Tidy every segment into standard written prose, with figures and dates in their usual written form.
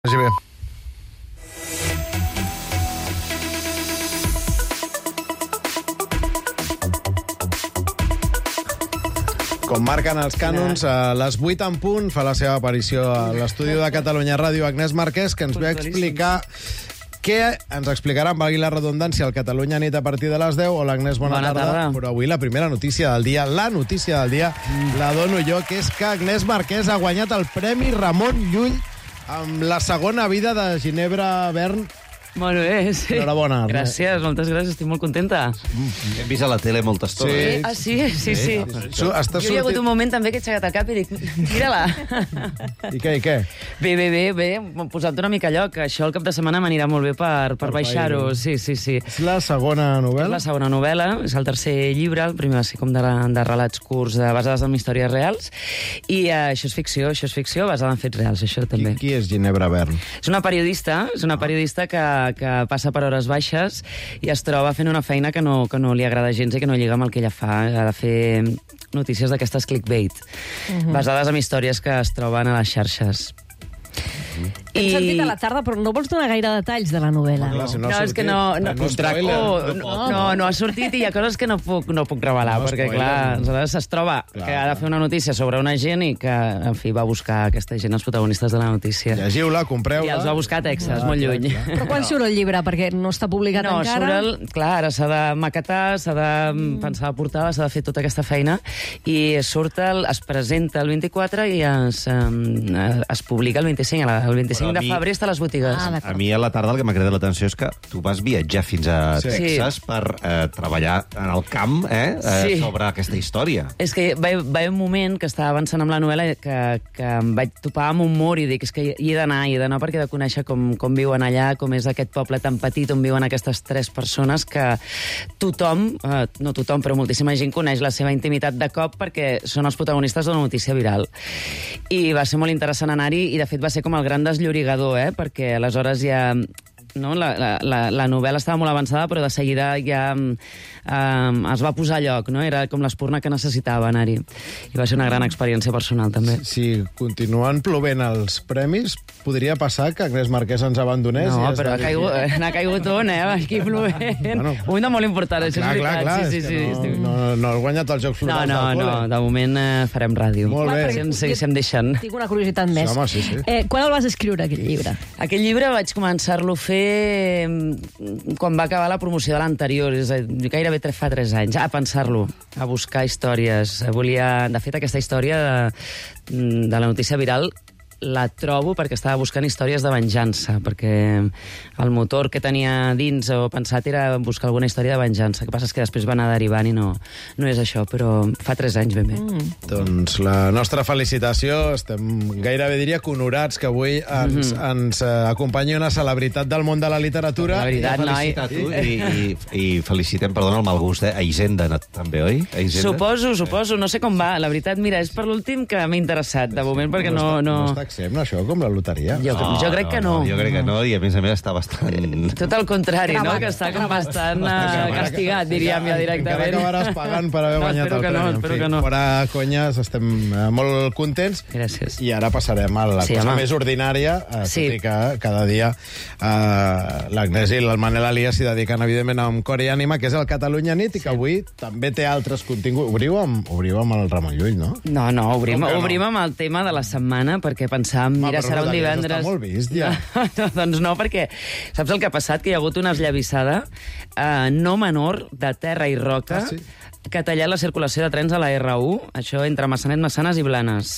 Vagi bé. Com marquen els cànons, a les 8 en punt fa la seva aparició a l'estudi de Catalunya Ràdio Agnès Marquès, que ens ve a explicar què ens explicarà, valgui la redundància, el Catalunya Nit a partir de les 10. Hola, Agnès, bona tarda. Però avui la primera notícia del dia, la dono jo, que és que Agnès Marquès ha guanyat el Premi Ramon Llull amb la segona vida de Ginebra Bern. Molt bé, sí. Enhorabona. Gràcies, moltes gràcies, estic molt contenta. Hem vist a la tele molta estona. Sí. Ah, sí? Sí. Jo hi ha hagut un moment també que he aixecat el cap i dic, mira-la. I què? Bé, m'ho posat una mica a lloc. Això el cap de setmana m'anirà molt bé per baixar-ho. Sí. És la segona novel·la? És la segona novel·la, és el tercer llibre, el primer va ser com de relats curts basades en històries reals, i això és ficció basada en fets reals, això també. Qui és Ginebra Bern? És una periodista que passa per hores baixes i es troba fent una feina que no li agrada gens i que no lliga amb el que ella fa. Ha de fer notícies d'aquestes clickbait, basades en històries que es troben a les xarxes. Hem sentit a la tarda, però no vols donar gaire detalls de la novel·la. És que no ha sortit i hi ha coses que no puc revelar, perquè, clar, aleshores es troba que ha de fer una notícia sobre una gent i que, en fi, va buscar aquesta gent, els protagonistes de la notícia. Llegiu-la, compreu-la. I els va buscar a Texas, molt lluny. Però quan surt el llibre? Perquè no està publicat encara. Clar, ara s'ha de maquetar, s'ha de pensar la portada, s'ha de fer tota aquesta feina, i es presenta el 24 i es publica el 25. El 25 de febrer està a les botigues. A mi a la tarda el que m'ha cridat l'atenció és que tu vas viatjar fins a Texas per treballar en el camp sobre aquesta història. És que va haver un moment que estava avançant amb la novel·la que em vaig topar amb un mur i dic, és que hi he d'anar perquè he de conèixer com viuen allà, com és aquest poble tan petit on viuen aquestes tres persones que tothom, no tothom, però moltíssima gent coneix la seva intimitat de cop perquè són els protagonistes d'una notícia viral. I va ser molt interessant anar-hi i, de fet, va ser com el gran desllorigador, perquè aleshores ja... No? La novel·la estava molt avançada, però de seguida ja es va posar a lloc, no? Era com l'espurna que necessitava anar-hi. I va ser una gran experiència personal, també. Si continuen plovent els premis, podria passar que Agnès Marquès ens abandonés? No, però n'ha caigut un, aquí plovent. Bueno, un de molt important, això és veritat. Clar, sí. No has guanyat els Jocs Florals del col·le. No, de moment farem ràdio. Molt bé. Si em deixen. Tinc una curiositat més. Home, sí. Quan el vas escriure, aquest llibre? Aquest llibre vaig començar-lo a fer quan va acabar la promoció de l'anterior, és a dir, gairebé fa 3 anys, a pensar-lo, a buscar històries. De fet, aquesta història de la notícia viral la trobo perquè estava buscant històries de venjança, perquè el motor que tenia dins o pensat era buscar alguna història de venjança. El que passa és que després va anar derivant i no és això, però fa 3 anys ben bé. Doncs la nostra felicitació. Estem gairebé, diria, que honorats que avui ens acompanyi una celebritat del món de la literatura. La veritat, noi. I felicitem, perdona, el mal gust, a Hisenda, també, oi? Suposo. No sé com va. La veritat, mira, és per l'últim que m'he interessat, de moment, perquè no... No està exempt, això, com la loteria. Jo crec que no. Jo crec que no, i a més està bastant... Tot el contrari, no? Que està com bastant castigat, diríem ja directament. Encara acabaràs pagant per haver guanyat el premi. Espero que no. Fora conyes, estem molt contents. Gràcies. I ara passarem a la cosa més ordinària, tot i que cada dia l'Agnès i el Manel Elias s'hi dediquen, evidentment, amb cor i ànima, que és el Catalunya Nit, i que avui també té altres continguts. Obriu amb el Ramon Llull, no? No, obrim amb el tema de la setmana, perquè pensàvem, mira, serà un divendres... Està molt vist, ja. Doncs no, perquè saps el que ha passat? Que hi ha hagut una esllavissada no menor de terra i roca que ha tallat la circulació de trens a la R1, això entre Massanet, Massanes i Blanes.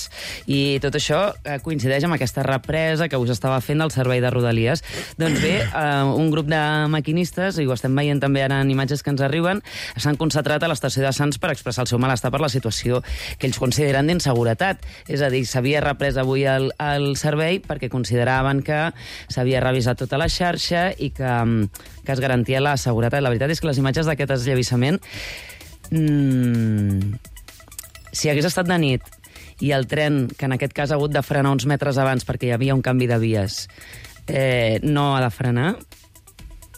I tot això coincideix amb aquesta represa que us estava fent del servei de Rodalies. Doncs bé, un grup de maquinistes, i ho estem veient també ara en imatges que ens arriben, s'han concentrat a l'estació de Sants per expressar el seu malestar per la situació que ells consideren d'inseguretat. És a dir, s'havia reprès avui el servei perquè consideraven que s'havia revisat tota la xarxa i que es garantia la seguretat. La veritat és que les imatges d'aquest esllavissament, si hagués estat de nit i el tren, que en aquest cas ha hagut de frenar uns metres abans perquè hi havia un canvi de vies, no ha de frenar,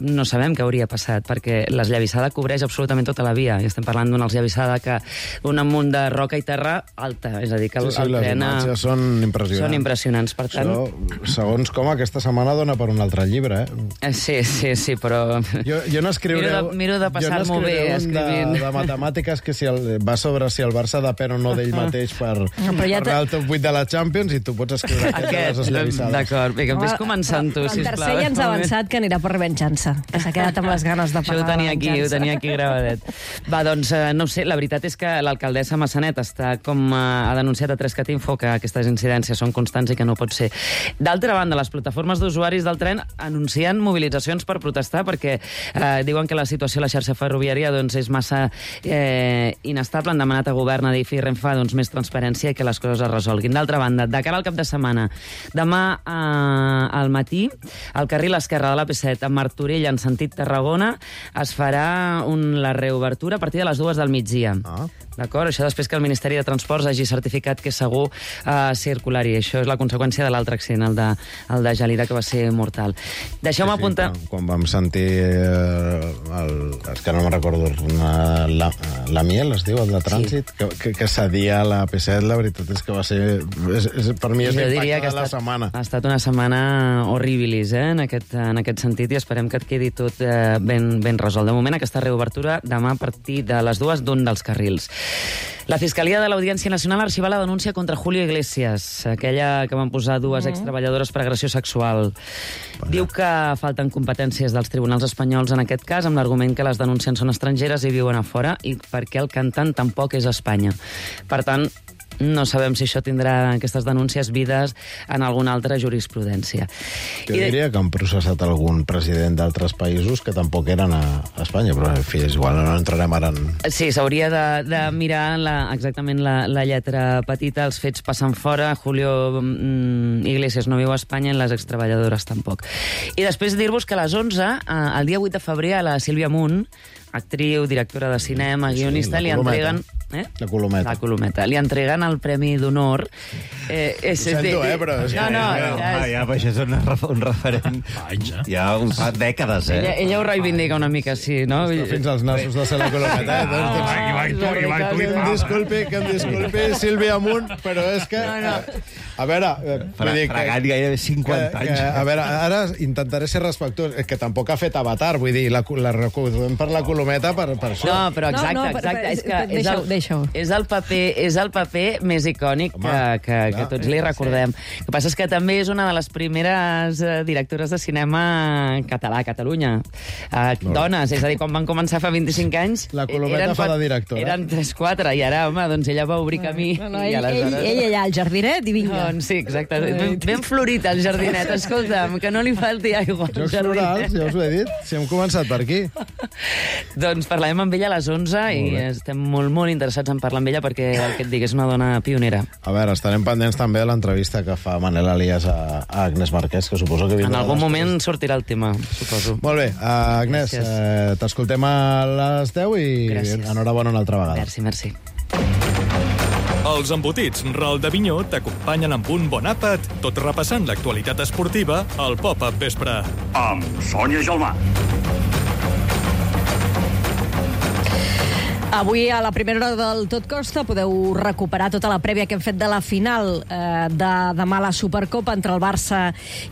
no sabem què hauria passat, perquè l'esllavissada cobreix absolutament tota la via, i estem parlant d'una esllavissada que un amunt de roca i terra alta, és a dir, que el les tren... imatges són impressionants. Són impressionants, per tant... Això, segons com, aquesta setmana dona per un altre llibre, Sí, però... Jo no escriuré... Miro de passar-m'ho bé escrivint. De matemàtiques que va sobre si el Barça depèn o no d'ell mateix per anar al top 8 de la Champions, i tu pots escriure aquest de les esllavissades. D'acord, bé, que vés començant tu, sisplau. El tercer ja ens ha avançat que anirà per revenjança, que s'ha quedat amb les ganes de pagar la venjança. Ho tenia aquí gravadet. Va, doncs, no ho sé, la veritat és que l'alcaldessa Massanet està ha denunciat a 3catinfo que aquestes incidències són constants i que no pot ser. D'altra banda, les plataformes d'usuaris del tren anuncien mobilitzacions per protestar perquè diuen que la situació a la xarxa ferroviària és massa inestable. Han demanat a govern, Adif i Renfe més transparència i que les coses es resolguin. D'altra banda, de cara al cap de setmana, demà al matí, al carril esquerre de l'AP7 a Martorell en sentit Tarragona es farà la reobertura a partir de les 2 del migdia. D'acord? Això després que el Ministeri de Transports hagi certificat que és segur circular, i això és la conseqüència de l'altre accident, el de Gelida, que va ser mortal. Deixeu-me apuntar... Quan vam sentir és que no me'n recordo, la Miel, es diu, el de trànsit, que cedia a la P7, la veritat és que va ser... Per mi és l'impacte de la setmana. Ha estat una setmana horribilis, en aquest sentit, i esperem que et quedi tot ben resolt. De moment, aquesta reobertura demà a partir de les 2 d'un dels carrils. La Fiscalia de l'Audiència Nacional ha arxivat la denúncia contra Julio Iglesias, aquella que van posar 2 extreballadores per agressió sexual. Diu que falten competències dels tribunals espanyols en aquest cas, amb l'argument que les denunciants són estrangeres i viuen a fora, i perquè el cantant tampoc és a Espanya. Per tant, no sabem si això tindrà, aquestes denúncies, vides en alguna altra jurisprudència. Jo diria que han processat algun president d'altres països que tampoc eren a Espanya, però en fi, és igual, no entrarem ara en... Sí, s'hauria de mirar exactament la lletra petita. Els fets passen fora, Julio Iglesias no viu a Espanya i les extreballadores tampoc. I després dir-vos que a les 11, el dia 8 de febrer, a la Sílvia Munt, actriu, directora de cinema, guionista, li entreguen... La Colometa. La Colometa. Li entreguen el Premi d'Honor. Ho sento, però... Això és un referent. Ja fa dècades, Ella ho reivindica una mica, sí, no? Fins als nassos de ser la Colometa. Que em disculpi, Sílvia Munt, però és que... A veure... Fregant gairebé 50 anys. A veure, ara intentaré ser respectuós. Que tampoc ha fet Avatar, vull dir, la recordem per la Colometa per això. No, però exacte. És el paper més icònic que tots li recordem. El que passa és que també és una de les primeres directores de cinema català a Catalunya. Dones, és a dir, quan van començar fa 25 anys... La Colometa fa de directora. Eren 3-4, i ara, home, doncs ella va obrir camí. Ell allà al jardinet i vinga. Doncs sí, exacte. Ben florit el jardinet, escolta'm, que no li falti aigua. Jocs Florals, ja us ho he dit, si hem començat per aquí. Doncs parlarem amb ella a les 11 i estem molt interessats en parlar amb ella perquè, el que et dic, és una dona pionera. A veure, estarem pendents també de l'entrevista que fa Manel Elias a Agnès Marquès, que suposo que vindrà... En algun moment sortirà el tema, suposo. Molt bé, Agnès, t'escoltem a les 10 i enhorabona una altra vegada. Merci. Els embotits Ral de Vinyó t'acompanyen amb un bon àpat, tot repassant l'actualitat esportiva al Pop-Up Vespre. Amb Sònia Gelmà. Avui, a la primera hora del Tot Costa, podeu recuperar tota la prèvia que hem fet de la final de demà a la Supercopa entre el Barça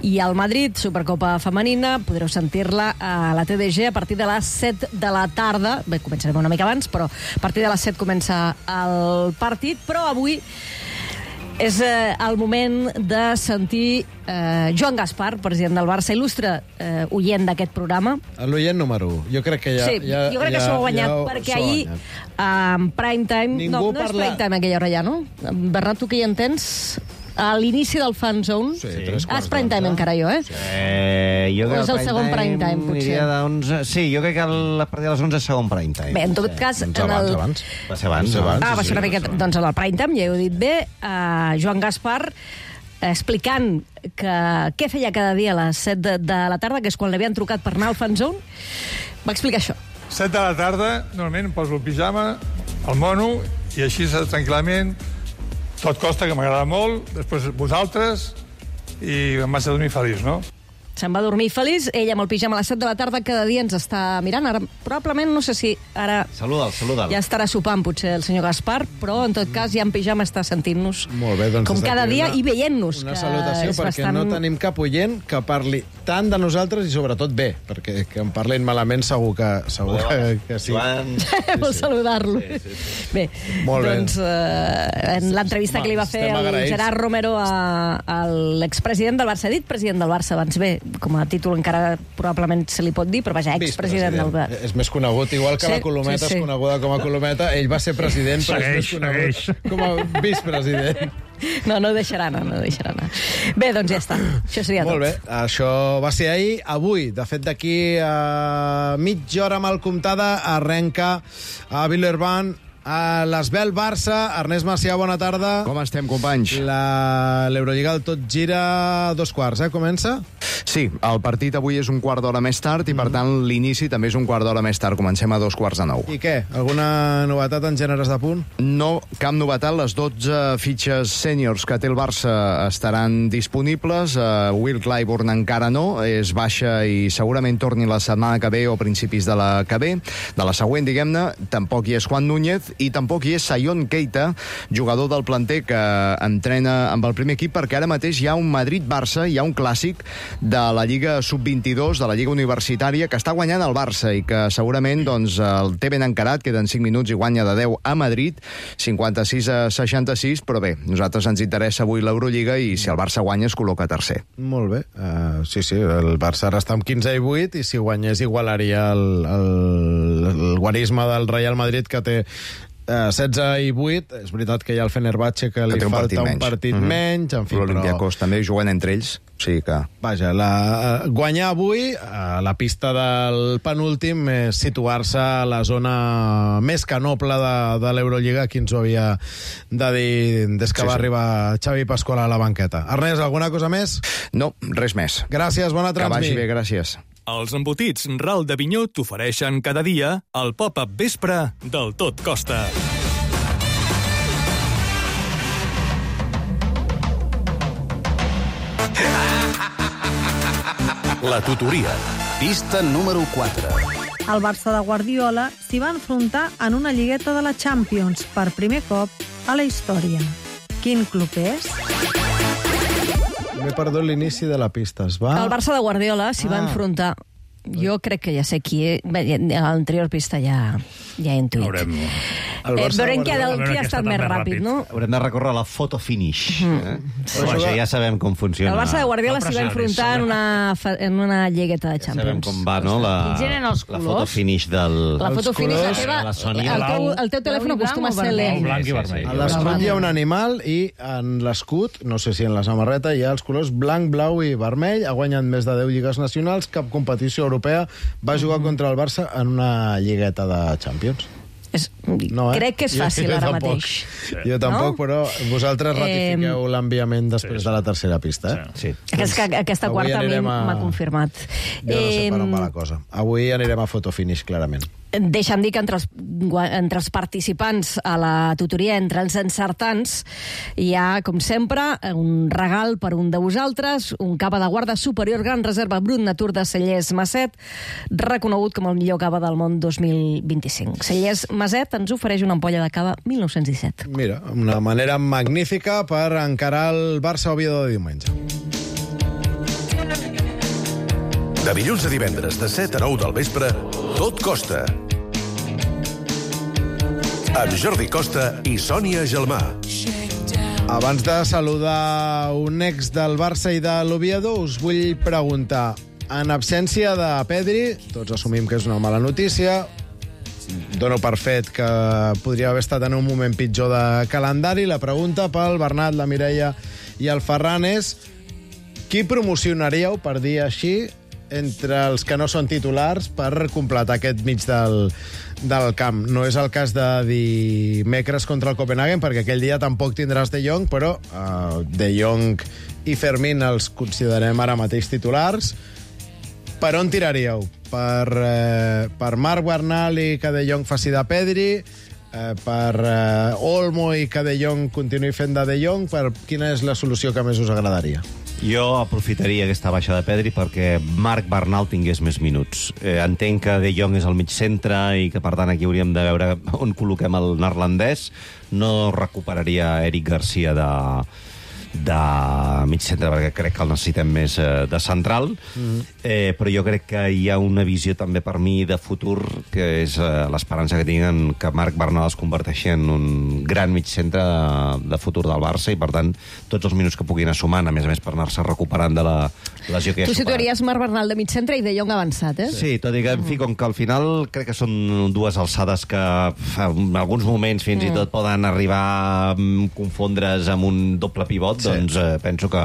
i el Madrid, Supercopa femenina. Podreu sentir-la a la TDG a partir de les 7 de la tarda. Bé, començarem una mica abans, però a partir de les 7 comença el partit. Però avui és el moment de sentir Joan Gaspar, president del Barça, il·lustre oient d'aquest programa. L'oient número 1. Jo crec que jo crec que s'ho ha guanyat, perquè ahir en prime time... No és prime time aquella hora ja, no? Bernat, tu que hi entens... A l'inici del Fan Zone... Sí, és prime time encara, jo, jo o és el segon prime time, potser? Sí, jo crec que a partir de les 11 és segon prime time. Bé, en tot cas... Abans. Va ser abans. Va ser una miqueta... Doncs en el prime time, ja ho he dit bé, Joan Gaspar explicant què feia cada dia a les 7 de la tarda, que és quan l'havien trucat per anar al Fan Zone, va explicar això. 7 de la tarda, normalment em poso el pijama, el mono, i així tranquil·lament... Tot Costa, que m'agrada molt, després vosaltres, i em vaig a dormir feliç, no? Se'n va dormir feliç, ell amb el pijama a les 7 de la tarda cada dia ens està mirant. Ara, probablement, no sé si ara Saluda'l. ja estarà sopant, potser, el senyor Gaspar, però, en tot cas, ja en pijama està sentint-nos com cada dia i veient-nos. Una salutació, perquè no tenim cap oient que parli tant de nosaltres i, sobretot, bé, perquè que en parlin malament segur que sí. Vol saludar-lo. Bé, doncs, en l'entrevista que li va fer el Gerard Romero a l'expresident del Barça, dit president del Barça abans, bé, com a títol encara probablement se li pot dir, però vaja, expresident del Barça. És més conegut, igual que la Colometa és coneguda com a Colometa, ell va ser president, però és més conegut com a vicepresident. No deixarà anar. Bé, doncs ja està. Això seria tot. Molt bé, això va ser ahir. Avui, de fet, d'aquí a mitja hora mal comptada, arrenca a Villeurbanne a l'Esbel Barça. Ernest Macià, bona tarda. Com estem, companys? L'Eurolliga el tot gira a 2:15, comença? Sí, el partit avui és un quart d'hora més tard i, per tant, l'inici també és un quart d'hora més tard. Comencem a 2:45. I què? Alguna novetat en gèneres de punt? No, cap novetat. Les 12 fitxes sèniors que té el Barça estaran disponibles. Will Clyburn encara no, és baixa i segurament torni la setmana que ve o principis de la que ve, de la següent, diguem-ne. Tampoc hi és Juan Núñez i tampoc hi és Sion Keita, jugador del planter que entrena amb el primer equip, perquè ara mateix hi ha un Madrid-Barça, hi ha un clàssic de la Lliga Sub-22, de la Lliga Universitària, que està guanyant el Barça i que segurament doncs, el té ben encarat, queden 5 minuts i guanya de 10 a Madrid, 56-66, però bé, nosaltres ens interessa avui l'Eurolliga i si el Barça guanya es col·loca tercer. Molt bé. Sí, el Barça ara està amb 15 i 8 i si guanyés igualaria el guarisme del Real Madrid, que té 16 i 8. És veritat que hi ha el Fenerbahçe que li falta un partit menys. En fi, l'Olympiacos també juguen entre ells. O sigui que... Vaja, guanyar avui a la pista del penúltim és situar-se a la zona més que noble de l'Eurolliga. Qui ens ho havia de dir des que va arribar Xavi Pasqual a la banqueta. Ernest, alguna cosa més? No, res més. Gràcies, bona transmi. Que vagi bé, gràcies. Els embotits Ral de Vinyó t'ofereixen cada dia el pop-up vespre del Tot Costa. La tutoria. Pista número 4. El Barça de Guardiola s'hi va enfrontar en una lligueta de la Champions per primer cop a la història. Quin club és? M'he perdut l'inici de la pista. El Barça de Guardiola s'hi va enfrontar. Jo crec que ja sé qui és. Bé, a l'anterior pista ja he intuït. Veurem qui ha estat més ràpid, no? Haurem de recórrer a la photo finish. Però això ja sabem com funciona. El Barça de Guardiola s'hi va enfrontar en una lligueta de Champions. Sabem com va, no? La photo finish del... La foto finish, la teva... El teu telèfon acostuma a ser lent. Blanc i vermell. A l'escut hi ha un animal i en l'escut, no sé si en la samarreta, hi ha els colors blanc, blau i vermell. Ha guanyat més de 10 lligues nacionals, cap competició europea. Va jugar contra el Barça en una lligueta de Champions. Crec que és fàcil ara mateix. Jo tampoc, però vosaltres ratifiqueu l'enviament després de la tercera pista. Sí. Aquesta quarta a mi m'ha confirmat. Jo no sé per on va la cosa. Avui anirem a photo finish, clarament. Deixa'm dir que entre els participants a la tutoria, entre els encertants, hi ha, com sempre, un regal per un de vosaltres, un cava de guarda superior Gran Reserva Brut Natur de Cellers Maset, reconegut com el millor cava del món 2025. Cellers Maset ens ofereix una ampolla de cava 1917. Mira, una manera magnífica per encarar el Barça-Oviedo de diumenge. De dilluns a divendres, de 7 a 9 del vespre, Tot Costa. Amb Jordi Costa i Sònia Gelmà. Abans de saludar un ex del Barça i de l'Oviedo, us vull preguntar, en absència de Pedri, tots assumim que és una mala notícia, dono per fet que podria haver estat en un moment pitjor de calendari, la pregunta pel Bernat, la Mireia i el Ferran és: qui promocionaríeu, per dir així, entre els que no són titulars per completar aquest mig del camp? No és el cas de dimecres contra el Copenhagen, perquè aquell dia tampoc tindràs De Jong, però De Jong i Fermín els considerem ara mateix titulars. Per on tiraríeu? Per Marc Bernal i que De Jong faci de Pedri? Per Olmo i que De Jong continuï fent de Jong? Quina és la solució que més us agradaria? Jo aprofitaria aquesta baixa de Pedri perquè Marc Bernal tingués més minuts. Entenc que De Jong és al mig centre i que, per tant, aquí hauríem de veure on col·loquem el neerlandès. No recuperaria Eric Garcia de mig centre, perquè crec que el necessitem més de central, però jo crec que hi ha una visió també per mi de futur, que és l'esperança que tinguin que Marc Bernal es converteixi en un gran mig centre de futur del Barça, i per tant tots els minuts que puguin anar sumant, a més per anar-se recuperant de la lesió que ja ha superat. Tu situaries Marc Bernal de mig centre i De Jong avançat, Sí, tot i que, en fi, com que al final crec que són dues alçades que en alguns moments fins i tot poden arribar a confondre's amb un doble pivot, doncs penso que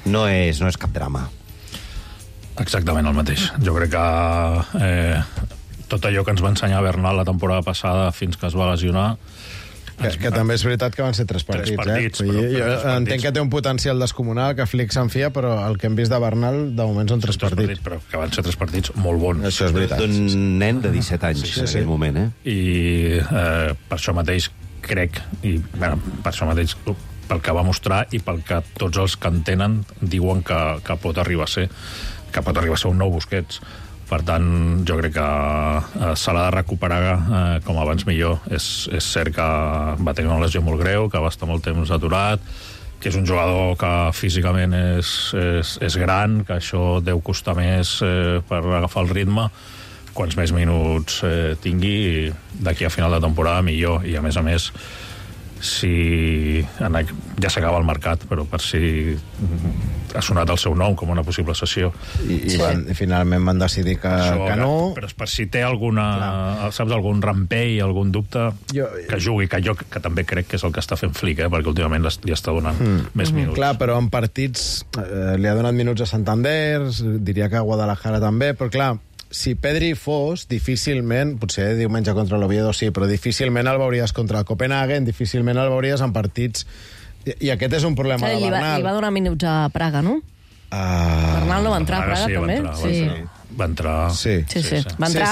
no és cap drama. Exactament el mateix. Jo crec que tot allò que ens va ensenyar Bernal la temporada passada fins que es va lesionar... Que també és veritat que van ser 3 partits. Jo entenc que té un potencial descomunal, que Flick se'n fia, però el que hem vist de Bernal, de moment, són 3 partits. Però que van ser 3 partits molt bons. Això és veritat. D'un nen de 17 anys, en aquell moment, I per això mateix crec, per això mateix, pel que va mostrar i pel que tots els que en tenen diuen que pot arribar a ser un nou Busquets. Per tant, jo crec que se l'ha de recuperar com abans millor. És cert que va tenir una lesió molt greu, que va estar molt temps aturat, que és un jugador que físicament és gran, que això deu costar més per agafar el ritme. Quants més minuts tingui d'aquí a final de temporada, millor. I a més, ja s'acaba el mercat, però per si ha sonat el seu nom com una possible cessió. I finalment van decidir que no. Però per si té algun rampell, algun dubte, que jugui, que també crec que és el que està fent Flick, perquè últimament li està donant més minuts. Clar, però en partits li ha donat minuts a Santander, diria que a Guadalajara també, però clar, si Pedri fos, difícilment, potser diumenge contra l'Oviedo sí, però difícilment el veuries contra el Copenhagen, difícilment el veuries en partits... I aquest és un problema de Bernal. Li va donar minuts a Praga, no? Bernal no va entrar a Praga, també? Va entrar... Sí. Va entrar...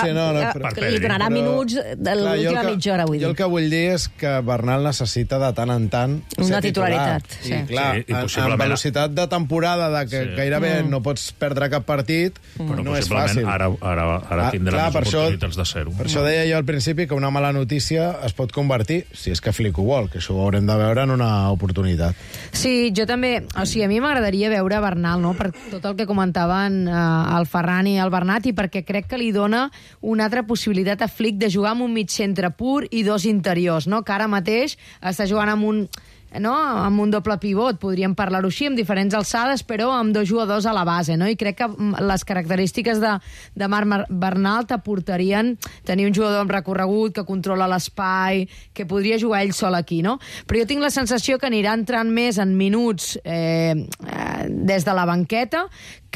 Li donarà minuts de l'última mitja hora, vull dir. Jo el que vull dir és que Bernal necessita de tant en tant una titularitat. I clar, en velocitat de temporada, que gairebé no pots perdre cap partit, no és fàcil. Ara tindrà més oportunitats de ser-ho. Per això deia jo al principi que una mala notícia es pot convertir, si és que Flick ho vol, que això ho haurem de veure en una oportunitat. Sí, jo també... O sigui, a mi m'agradaria veure Bernal, no?, per tot el que comentaven el Ferran i el Bernat, i perquè crec que li dona una altra possibilitat a Flick de jugar amb un mig centre pur i 2 interiors, no?, que ara mateix està jugant amb un doble pivot, podríem parlar-ho així, amb diferents alçades, però amb 2 jugadors a la base, no? I crec que les característiques de Marc Bernal t'aportarien tenir un jugador amb recorregut, que controla l'espai, que podria jugar ell sol aquí, no? Però jo tinc la sensació que anirà entrant més en minuts des de la banqueta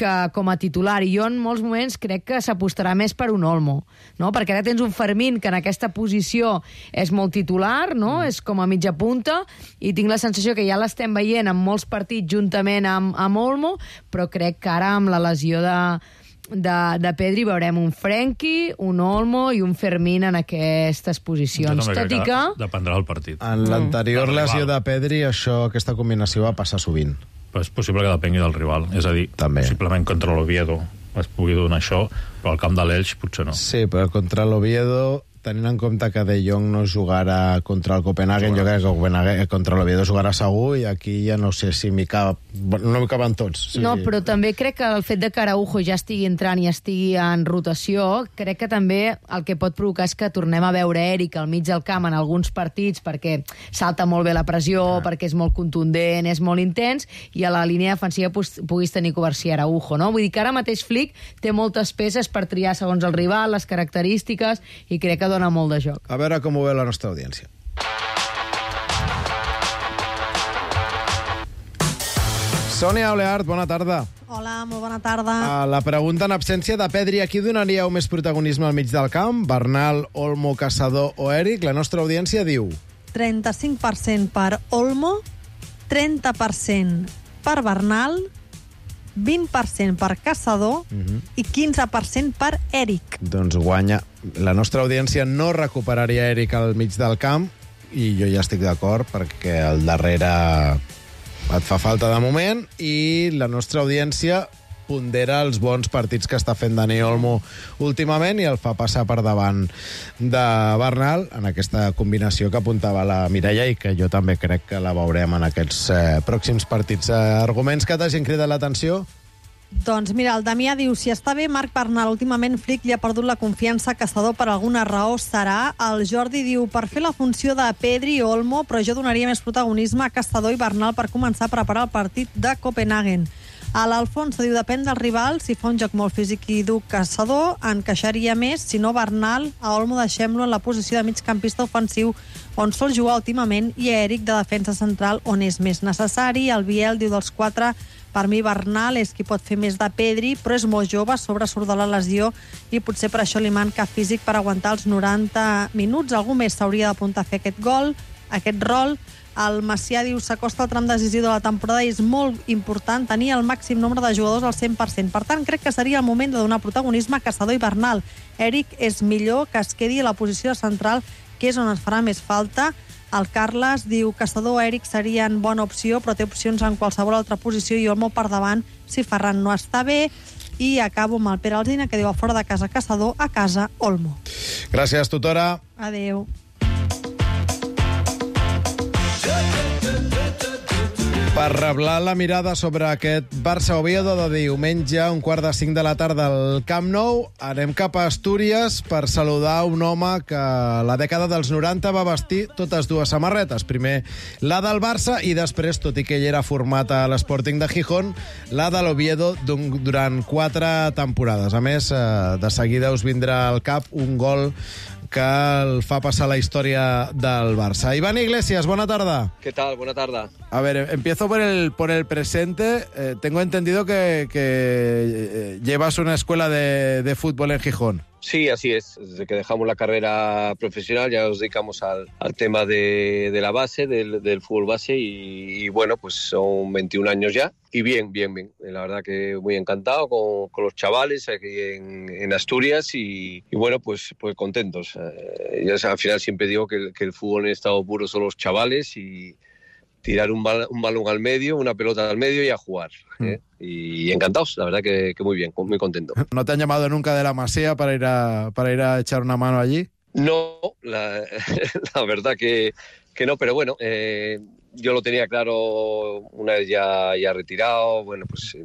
que com a titular, i jo en molts moments crec que s'apostarà més per un Olmo, no? Perquè ara tens un Fermín que en aquesta posició és molt titular, no? És com a mitja punta, i tinc la sensació que ja l'estem veient en molts partits juntament amb Olmo, però crec que ara amb la lesió de Pedri veurem un Frenkie, un Olmo i un Fermín en aquestes posicions. Tot i que... Dependrà del partit. En l'anterior lesió de Pedri, aquesta combinació va passar sovint. Però és possible que depengui del rival. És a dir, possiblement contra l'Oviedo es pugui donar això, però al camp de l'Elx potser no. Sí, però contra l'Oviedo, tenint en compte que De Jong no jugarà contra el Copenhagen, jo crec que contra l'Oviedo jugarà segur, i aquí ja no sé si no m'hi caben tots. Sí. No, però també crec que el fet de que Araujo ja estigui entrant i estigui en rotació, crec que també el que pot provocar és que tornem a veure Eric al mig del camp en alguns partits, perquè salta molt bé la pressió, perquè és molt contundent, és molt intens, i a la línia defensiva puguis tenir Covarsí Araujo, no? Vull dir que ara mateix Flick té moltes peces per triar segons el rival, les característiques, i crec que dona molt de joc. A veure com ho veu la nostra audiència. Sònia Oleart, bona tarda. Hola, molt bona tarda. La pregunta en absència de Pedri, a qui donaríeu més protagonisme al mig del camp? Bernal, Olmo, Caçador o Eric? La nostra audiència diu... 35% per Olmo, 30% per Bernal, 20% per Caçador i 15% per Eric. Doncs guanya. La nostra audiència no recuperaria Eric al mig del camp, i jo ja estic d'acord, perquè al darrere et fa falta de moment, i la nostra audiència pondera els bons partits que està fent Dani Olmo últimament i el fa passar per davant de Bernal en aquesta combinació que apuntava la Mireia i que jo també crec que la veurem en aquests pròxims partits. Arguments que t'hagin cridat l'atenció? Doncs mira, el Damià diu, si està bé Marc Bernal, últimament Flick li ha perdut la confiança a Caçador, per alguna raó serà. El Jordi diu, per fer la funció de Pedri i Olmo, però jo donaria més protagonisme a Caçador i Bernal per començar a preparar el partit de Copenhagen. L'Alfonso diu, depèn del rival, si fa un joc molt físic i dur Caçador, encaixaria més, si no Bernal, a Olmo deixem-lo en la posició de migcampista ofensiu on sol jugar últimament i a Eric de defensa central on és més necessari. El Biel diu, dels 4, per mi Bernal és qui pot fer més de Pedri, però és molt jove, sobresurt de la lesió i potser per això li manca físic per aguantar els 90 minuts. Algú més s'hauria d'apuntar a fer aquest gol, aquest rol. El Macià diu, s'acosta el tram decisiu de la temporada i és molt important tenir el màxim nombre de jugadors al 100%. Per tant, crec que seria el moment de donar protagonisme a Caçador i Bernal. Eric és millor que es quedi a la posició central, que és on es farà més falta. El Carles diu, Caçador o Eric serien bona opció, però té opcions en qualsevol altra posició i Olmo per davant si Ferran no està bé. I acabo amb el Pere Alsina, que diu, a fora de casa Caçador, a casa Olmo. Gràcies, tutora. Adéu. Per reblar la mirada sobre aquest Barça-Oviedo de diumenge, 4:45 de la tarda al Camp Nou, anem cap a Astúries per saludar un home que a la dècada dels 90 va vestir totes dues samarretes. Primer la del Barça i després, tot i que ell era format a l'Sporting de Gijón, la de l'Oviedo durant 4 temporades. A més, de seguida us vindrà al cap un gol que el fa passar la història del Barça. Iván Iglesias, buena tarde. ¿Qué tal? Buena tarde. A ver, empiezo por el presente. Tengo entendido que llevas una escuela de fútbol en Gijón. Sí, así es. Desde que dejamos la carrera profesional ya nos dedicamos al tema de la base, del fútbol base y bueno, pues son 21 años ya. Y bien. La verdad que muy encantado con los chavales aquí en Asturias y bueno, pues contentos. Ya al final siempre digo que el fútbol en estado puro son los chavales y tirar un balón al medio, una pelota al medio y a jugar. Y encantados, la verdad que muy bien, muy contento. ¿No te han llamado nunca de la Masía para ir a echar una mano allí? No, la verdad que no, pero bueno, yo lo tenía claro una vez ya retirado, bueno, pues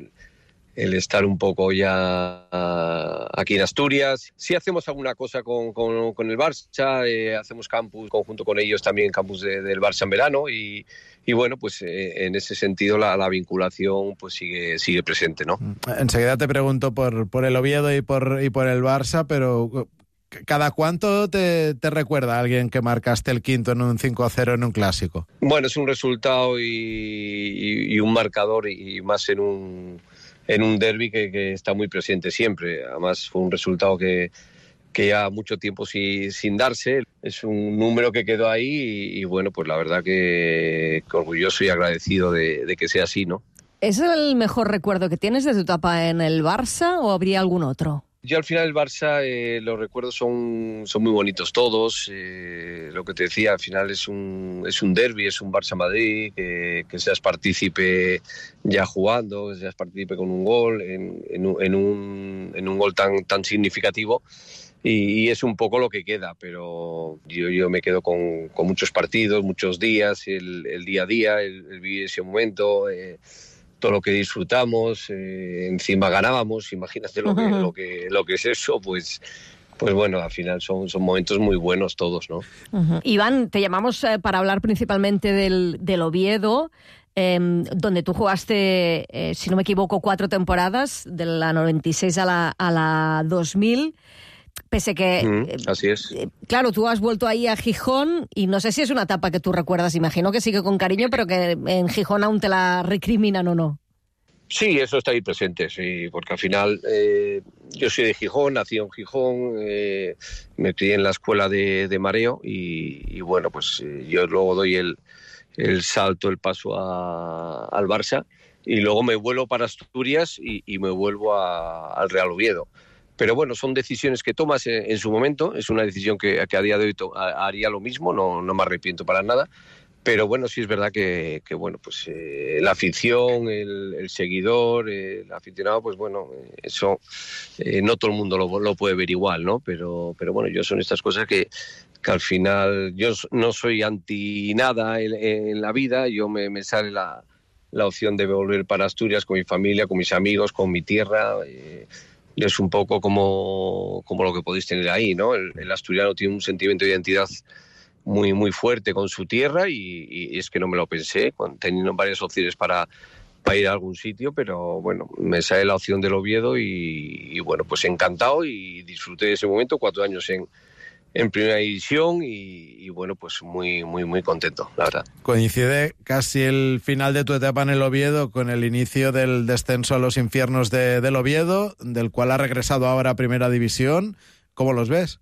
el estar un poco ya aquí en Asturias. Sí hacemos alguna cosa con el Barça, hacemos campus conjunto con ellos también, campus del Barça en verano y bueno, pues en ese sentido la vinculación pues sigue presente, ¿no? Enseguida te pregunto por el Oviedo y por el Barça, pero ¿cada cuánto te recuerda a alguien que marcaste el quinto en un 5-0 en un clásico? Bueno, es un resultado y un marcador y más en un derbi que está muy presente siempre. Además fue un resultado que ya mucho tiempo sin darse. Es un número que quedó ahí y bueno, pues la verdad que orgulloso y agradecido de que sea así, ¿no? ¿Es el mejor recuerdo que tienes de tu etapa en el Barça o habría algún otro? Yo al final el Barça, los recuerdos son muy bonitos todos. Lo que te decía, al final es un derbi, es un Barça-Madrid, que seas partícipe ya jugando, que seas partícipe con un gol, en un gol tan significativo. Y es un poco lo que queda, pero yo me quedo con muchos partidos, muchos días, el día a día, el vivir ese momento, todo lo que disfrutamos, encima ganábamos, imagínate lo que es eso, pues bueno, al final son momentos muy buenos todos, ¿no? Iván, te llamamos para hablar principalmente del Oviedo, donde tú jugaste, si no me equivoco, 4 temporadas, de la 96 a la 2000. Pese que... así es. Claro, tú has vuelto ahí a Gijón y no sé si es una etapa que tú recuerdas, imagino que sigue con cariño, pero que en Gijón aún te la recriminan o no. Sí, eso está ahí presente, sí, porque al final yo soy de Gijón, nací en Gijón, me crié en la escuela de mareo y bueno, pues yo luego doy el salto, el paso al Barça y luego me vuelvo para Asturias y me vuelvo al Real Oviedo. Pero bueno, son decisiones que tomas en su momento, es una decisión que a día de hoy haría lo mismo, no me arrepiento para nada, Pero bueno, sí es verdad que bueno, pues la afición, el seguidor, el aficionado, pues bueno, eso no todo el mundo lo puede ver igual, ¿no? Pero bueno, yo son estas cosas que al final yo no soy anti nada en la vida. Yo me sale la opción de volver para Asturias con mi familia, con mis amigos, con mi tierra. Es un poco como lo que podéis tener ahí, ¿no? El asturiano tiene un sentimiento de identidad muy, muy fuerte con su tierra y es que no me lo pensé, teniendo varias opciones para ir a algún sitio, pero bueno, me sale la opción del Oviedo y bueno, pues encantado y disfruté de ese momento, 4 años en primera división y bueno, pues muy, muy, muy contento, la verdad. Coincide casi el final de tu etapa en el Oviedo con el inicio del descenso a los infiernos del Oviedo, del cual ha regresado ahora a primera división. ¿Cómo los ves?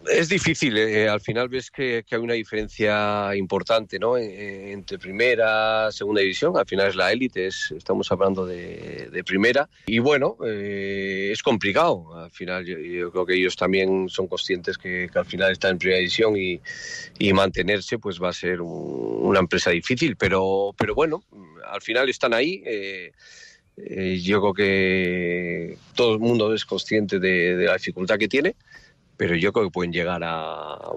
Es difícil, al final ves que hay una diferencia importante, ¿no? Entre primera, segunda división, al final es la élite, estamos hablando de primera, y bueno, es complicado, al final yo creo que ellos también son conscientes que al final están en primera división y mantenerse pues va a ser una empresa difícil, pero bueno, al final están ahí. Yo creo que todo el mundo es consciente de la dificultad que tiene, pero yo creo que pueden llegar a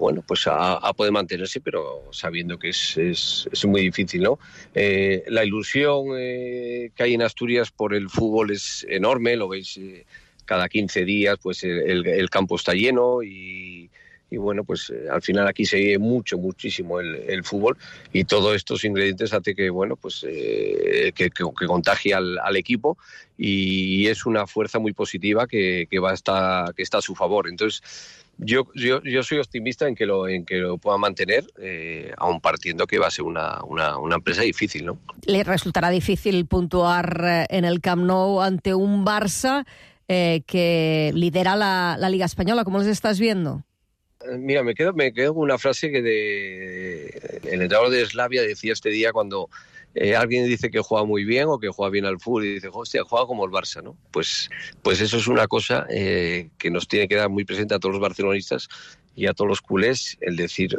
poder mantenerse, pero sabiendo que es muy difícil, ¿no? La ilusión que hay en Asturias por el fútbol es enorme, lo veis cada 15 días, pues el campo está lleno y bueno, pues al final aquí se ve muchísimo el fútbol y todos estos ingredientes hace que, bueno, pues que contagie al equipo y es una fuerza muy positiva que está a su favor. Entonces, yo soy optimista en que lo puedan mantener, aun partiendo que va a ser una empresa difícil, ¿no? Le resultará difícil puntuar en el Camp Nou ante un Barça que lidera la Liga Española. ¿Cómo los estás viendo? Mira, me quedo con una frase que el entrenador de Slavia decía este día cuando alguien dice que juega muy bien o que juega bien al fútbol y dice, hostia, juega como el Barça, ¿no? Pues eso es una cosa que nos tiene que dar muy presente a todos los barcelonistas y a todos los culés, el decir,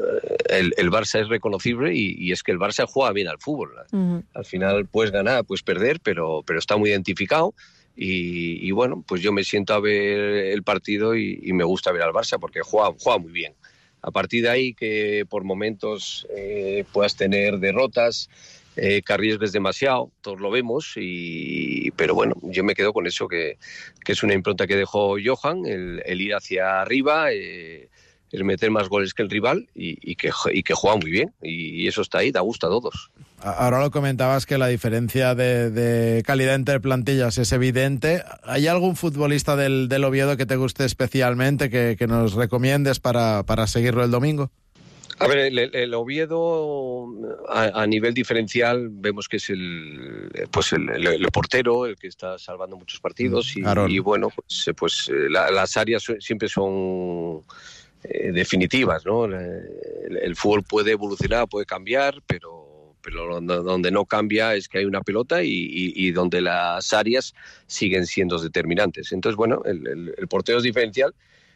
el Barça es reconocible y es que el Barça juega bien al fútbol. Uh-huh. Al final puedes ganar, puedes perder, pero está muy identificado. Y bueno, pues yo me siento a ver el partido y me gusta ver al Barça porque juega muy bien. A partir de ahí que por momentos puedas tener derrotas, que arriesgues demasiado, todos lo vemos, pero bueno, yo me quedo con eso que es una impronta que dejó Johan, el ir hacia arriba, el meter más goles que el rival y que juega muy bien y eso está ahí, da gusto a todos. Ahora lo comentabas que la diferencia de calidad entre plantillas es evidente. ¿Hay algún futbolista del Oviedo que te guste especialmente, que nos recomiendes para seguirlo el domingo? A ver, el Oviedo a nivel diferencial vemos que es el portero, el que está salvando muchos partidos y bueno, pues las áreas siempre son definitivas, ¿no? El fútbol puede evolucionar, puede cambiar, pero donde no cambia es que hay una pelota y donde las áreas siguen siendo determinantes. Entonces, bueno, el portero es diferencial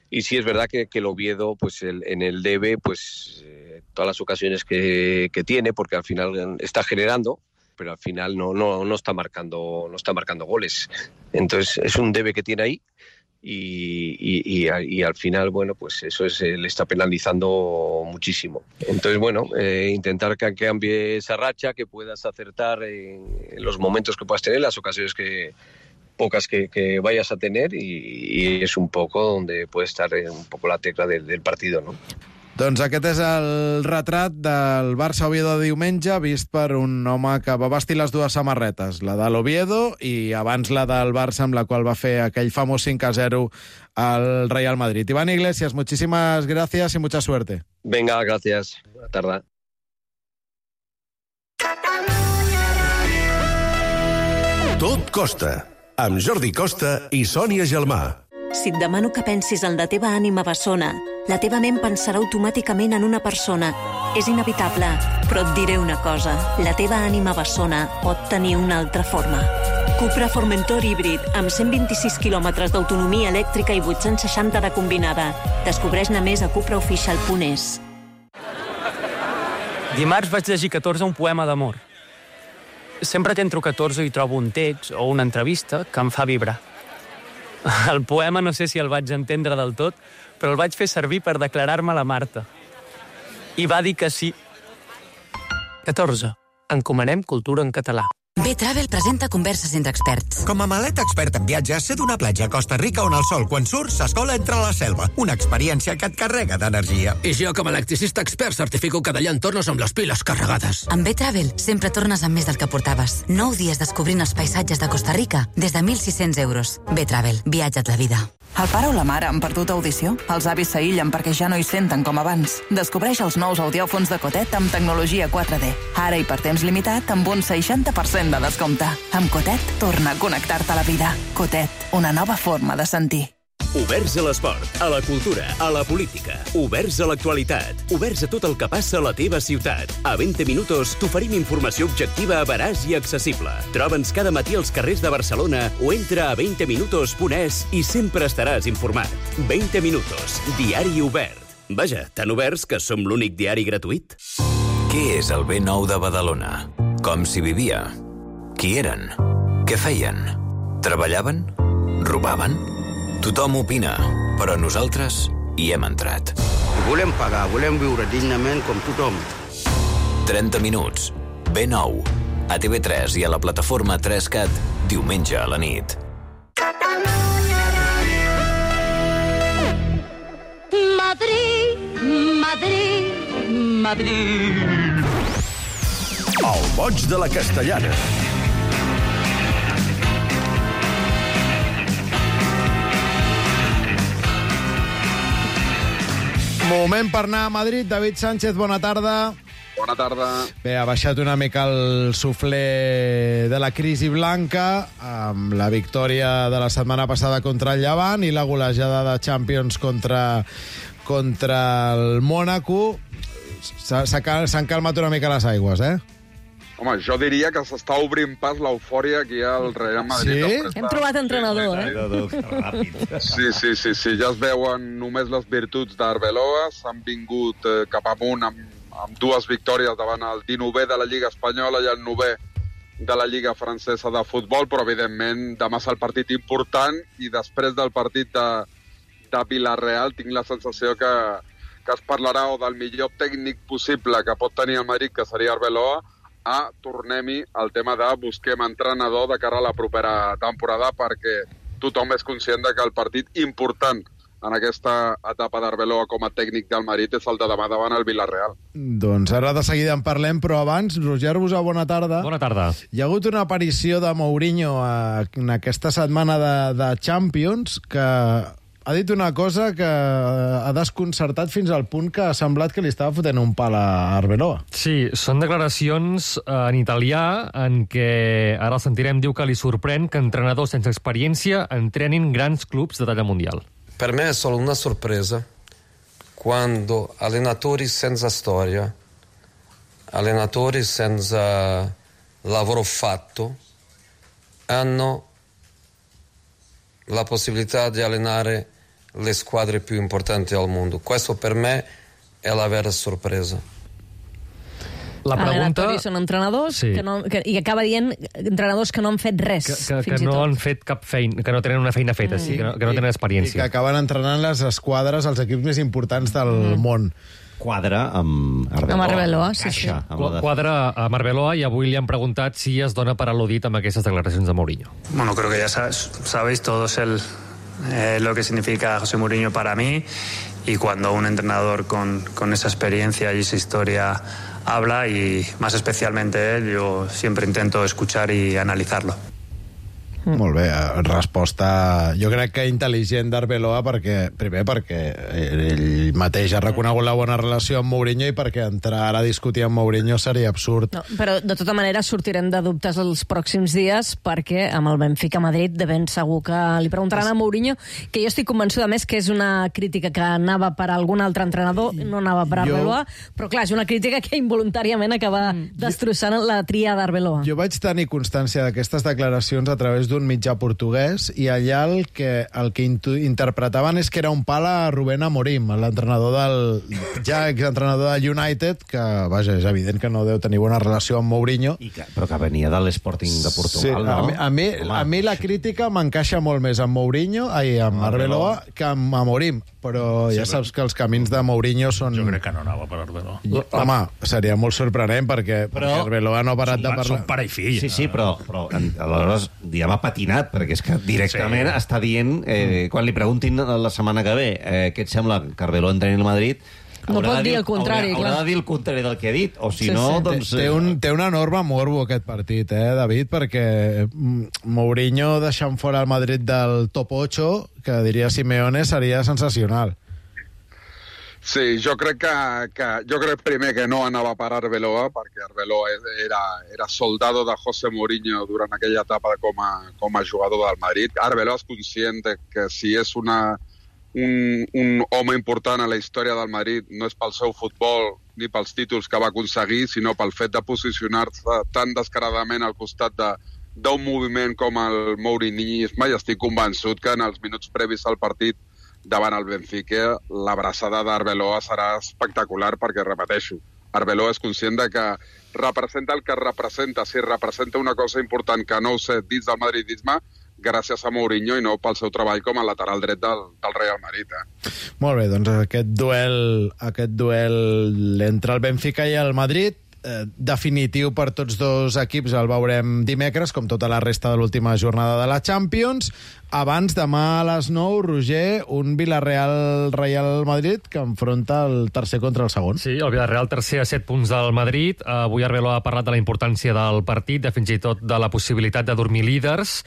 y sí es verdad que el Oviedo, pues en el debe, pues todas las ocasiones que tiene, porque al final está generando, pero al final no está marcando goles. Entonces es un debe que tiene ahí. Y al final, bueno, pues eso le está penalizando muchísimo. Entonces, bueno, intentar que cambie esa racha, que puedas acertar en los momentos que puedas tener, las ocasiones pocas que vayas a tener y es un poco donde puede estar un poco la tecla del partido, ¿no? Doncs aquest és el retrat del Barça-Oviedo de diumenge, vist per un home que va vestir les dues samarretes, la de l'Oviedo i abans la del Barça, amb la qual va fer aquell famós 5-0 al Real Madrid. Iván Iglesias, muchísimas gracias y mucha suerte. Venga, gracias. Buena tarde. Tot costa, amb Jordi Costa i Sònia Gelmà. Si et demano que pensis en la teva ànima bessona, la teva ment pensarà automàticament en una persona. És inevitable, però et diré una cosa. La teva ànima bessona pot tenir una altra forma. Cupra Formentor híbrid, amb 126 quilòmetres d'autonomia elèctrica i 860 de combinada. Descobreix-ne més a cupraofficial.es. Dimarts vaig llegir 14 un poema d'amor. Sempre que entro 14 i trobo un text o una entrevista que em fa vibrar. El poema no sé si el vaig entendre del tot, però el vaig fer servir per declarar-me a la Marta. I va dir que sí. 14. Encomanem cultura en català. B-Travel presenta converses entre experts. Com a maleta expert en viatges, sé d'una platja a Costa Rica on el sol, quan surts, s'escola entre la selva. Una experiència que et carrega d'energia. I jo, com a electricista expert, certifico que d'allà en tornes amb les piles carregades. Amb B-Travel sempre tornes amb més del que portaves. 9 dies descobrint els paisatges de Costa Rica des de 1.600 euros. B-Travel. Viatja't la vida. El pare o la mare han perdut audició? Els avis s'aïllen perquè ja no hi senten com abans. Descobreix els nous audiòfons de Cotet amb tecnologia 4D. Ara i per temps limitat amb un 60% de descompte. Amb Cotet, torna a connectar-te a la vida. Cotet, una nova forma de sentir. Oberts a l'esport, a la cultura, a la política. Oberts a l'actualitat. Oberts a tot el que passa a la teva ciutat. A 20 minuts t'oferim informació objectiva, veraç i accessible. Troba'ns cada matí als carrers de Barcelona o entra a 20minutos.es i sempre estaràs informat. 20 minutos, diari obert. Vaja, tan oberts que som l'únic diari gratuït. Què és el B9 de Badalona? Com s'hi vivia? Qui eren? Què feien? Treballaven? Robaven? Tothom opina, però nosaltres hi hem entrat. Volem pagar, volem viure dignament com tothom. 30 minuts. B9. A TV3 i a la plataforma 3CAT, diumenge a la nit. Madrid, Madrid, Madrid. El boig de la Castellana. Moment per anar a Madrid. David Sánchez, bona tarda. Bona tarda. Bé, ha baixat una mica el suflé de la crisi blanca amb la victòria de la setmana passada contra el Llevant i la golejada de Champions contra el Mònaco. S'han calmat una mica les aigües, eh? Home, jo diria que s'està obrint pas l'eufòria aquí al Real Madrid. Sí? Hem trobat entrenador, eh? Sí. Ja es veuen només les virtuts d'Arbeloa. S'han vingut cap amunt amb dues victòries davant el 19è de la Lliga Espanyola i el 9è de la Lliga Francesa de Futbol, però evidentment demà és el partit important i després del partit de Villarreal tinc la sensació que es parlarà o del millor tècnic possible que pot tenir el Madrid, que seria Arbeloa, tornem-hi al tema de busquem entrenador de cara a la propera temporada, perquè tothom és conscient de que el partit important en aquesta etapa d'Arbeloa com a tècnic del Madrid és el de demà davant el Villarreal. Doncs ara de seguida en parlem, però abans, Roger Busà, bona tarda. Bona tarda. Hi ha hagut una aparició de Mourinho en aquesta setmana de Champions que ha dit una cosa que ha desconcertat fins al punt que ha semblat que li estava fotent un pal a Arbeloa. Sí, són declaracions en italià en què, ara el sentirem, diu que li sorprèn que entrenadors sense experiència entrenin grans clubs de talla mundial. Per me è solo una sorpresa quando allenatori senza storia, allenatori senza lavoro fatto, hanno la possibilità di allenare le squadre più importanti al mondo. Questo per me è la vera sorpresa. La pregunta... Són entrenadors sí. i acaba dient entrenadors que no han fet res, que no han fet cap feina, que no tenen una feina feta, sí, que no tenen experiència. I que acaben entrenant les esquadres, els equips més importants del món. Quadra amb Arbeloa. Amb Arbeloa, sí. Quadra amb Arbeloa, i avui li han preguntat si es dona per al·ludit amb aquestes declaracions de Mourinho. Bueno, creo que ya sabéis todos lo que significa José Mourinho para mí, y cuando un entrenador con esa experiencia y esa historia habla, y más especialmente él, yo siempre intento escuchar y analizarlo. Molt bé, resposta jo crec que intel·ligent d'Arbeloa, perquè ell mateix ha reconegut la bona relació amb Mourinho i perquè entrar ara a discutir amb Mourinho seria absurd. No, però de tota manera sortirem de dubtes els pròxims dies, perquè amb el Benfica Madrid de ben segur que li preguntaran a Mourinho, que jo estic convençuda més que és una crítica que anava per algun altre entrenador, no anava per Arbeloa, però clar, és una crítica que involuntàriament acaba destrossant la tria d'Arbeloa. Jo vaig tenir constància d'aquestes declaracions a través d'un mitjà portuguès, i allà el que interpretaven és que era un pal a Rubén Amorim, l'entrenador ja exentrenador del United, que, vaja, és evident que no deu tenir bona relació amb Mourinho. Però que venia de l'Sporting de Portugal, no? A mi la crítica m'encaixa molt més amb Mourinho, amb Arbeloa, que amb Amorim, però ja saps que els camins de Mourinho són... Jo crec que no anava per Arbeloa. Home, seria molt sorprenent, perquè Arbeloa no ha parat de parlar. Són pare i fill. Sí, però aleshores ja m'ha patinat, perquè és que directament està dient, quan li preguntin la setmana que ve què et sembla que Arbeloa entreni al Madrid, no pot dir el contrari, haurà de dir el contrari del que ha dit, o si no, doncs... Té un enorme morbo aquest partit, David, perquè Mourinho deixant fora el Madrid del top 8, que diria Simeone, seria sensacional. Sí, jo crec primer que no anava per Arbeloa, perquè Arbeloa era soldado de José Mourinho durant aquella etapa com a jugador del Madrid. Arbeloa és conscient que si és un home important a la història del Madrid no és pel seu futbol ni pels títols que va aconseguir, sinó pel fet de posicionar-se tan descaradament al costat d'un moviment com el mourinisme, i estic convençut que en els minuts previs al partit davant el Benfica l'abraçada d'Arbeloa serà espectacular, perquè, repeteixo, Arbeloa és conscient de que representa el que representa. Si representa una cosa important que no ho sé dins del madridisme, gràcies a Mourinho i no pel seu treball com a lateral dret del Real Madrid. Molt bé, doncs aquest duel entre el Benfica i el Madrid, definitiu per tots dos equips, el veurem dimecres, com tota la resta de l'última jornada de la Champions. Abans, demà a les 9, Roger, un Villarreal-Real Madrid que enfronta el tercer contra el segon. Sí, el Villarreal tercer a 7 punts del Madrid. Avui Arbeloa ha parlat de la importància del partit, de fins i tot de la possibilitat de dormir líders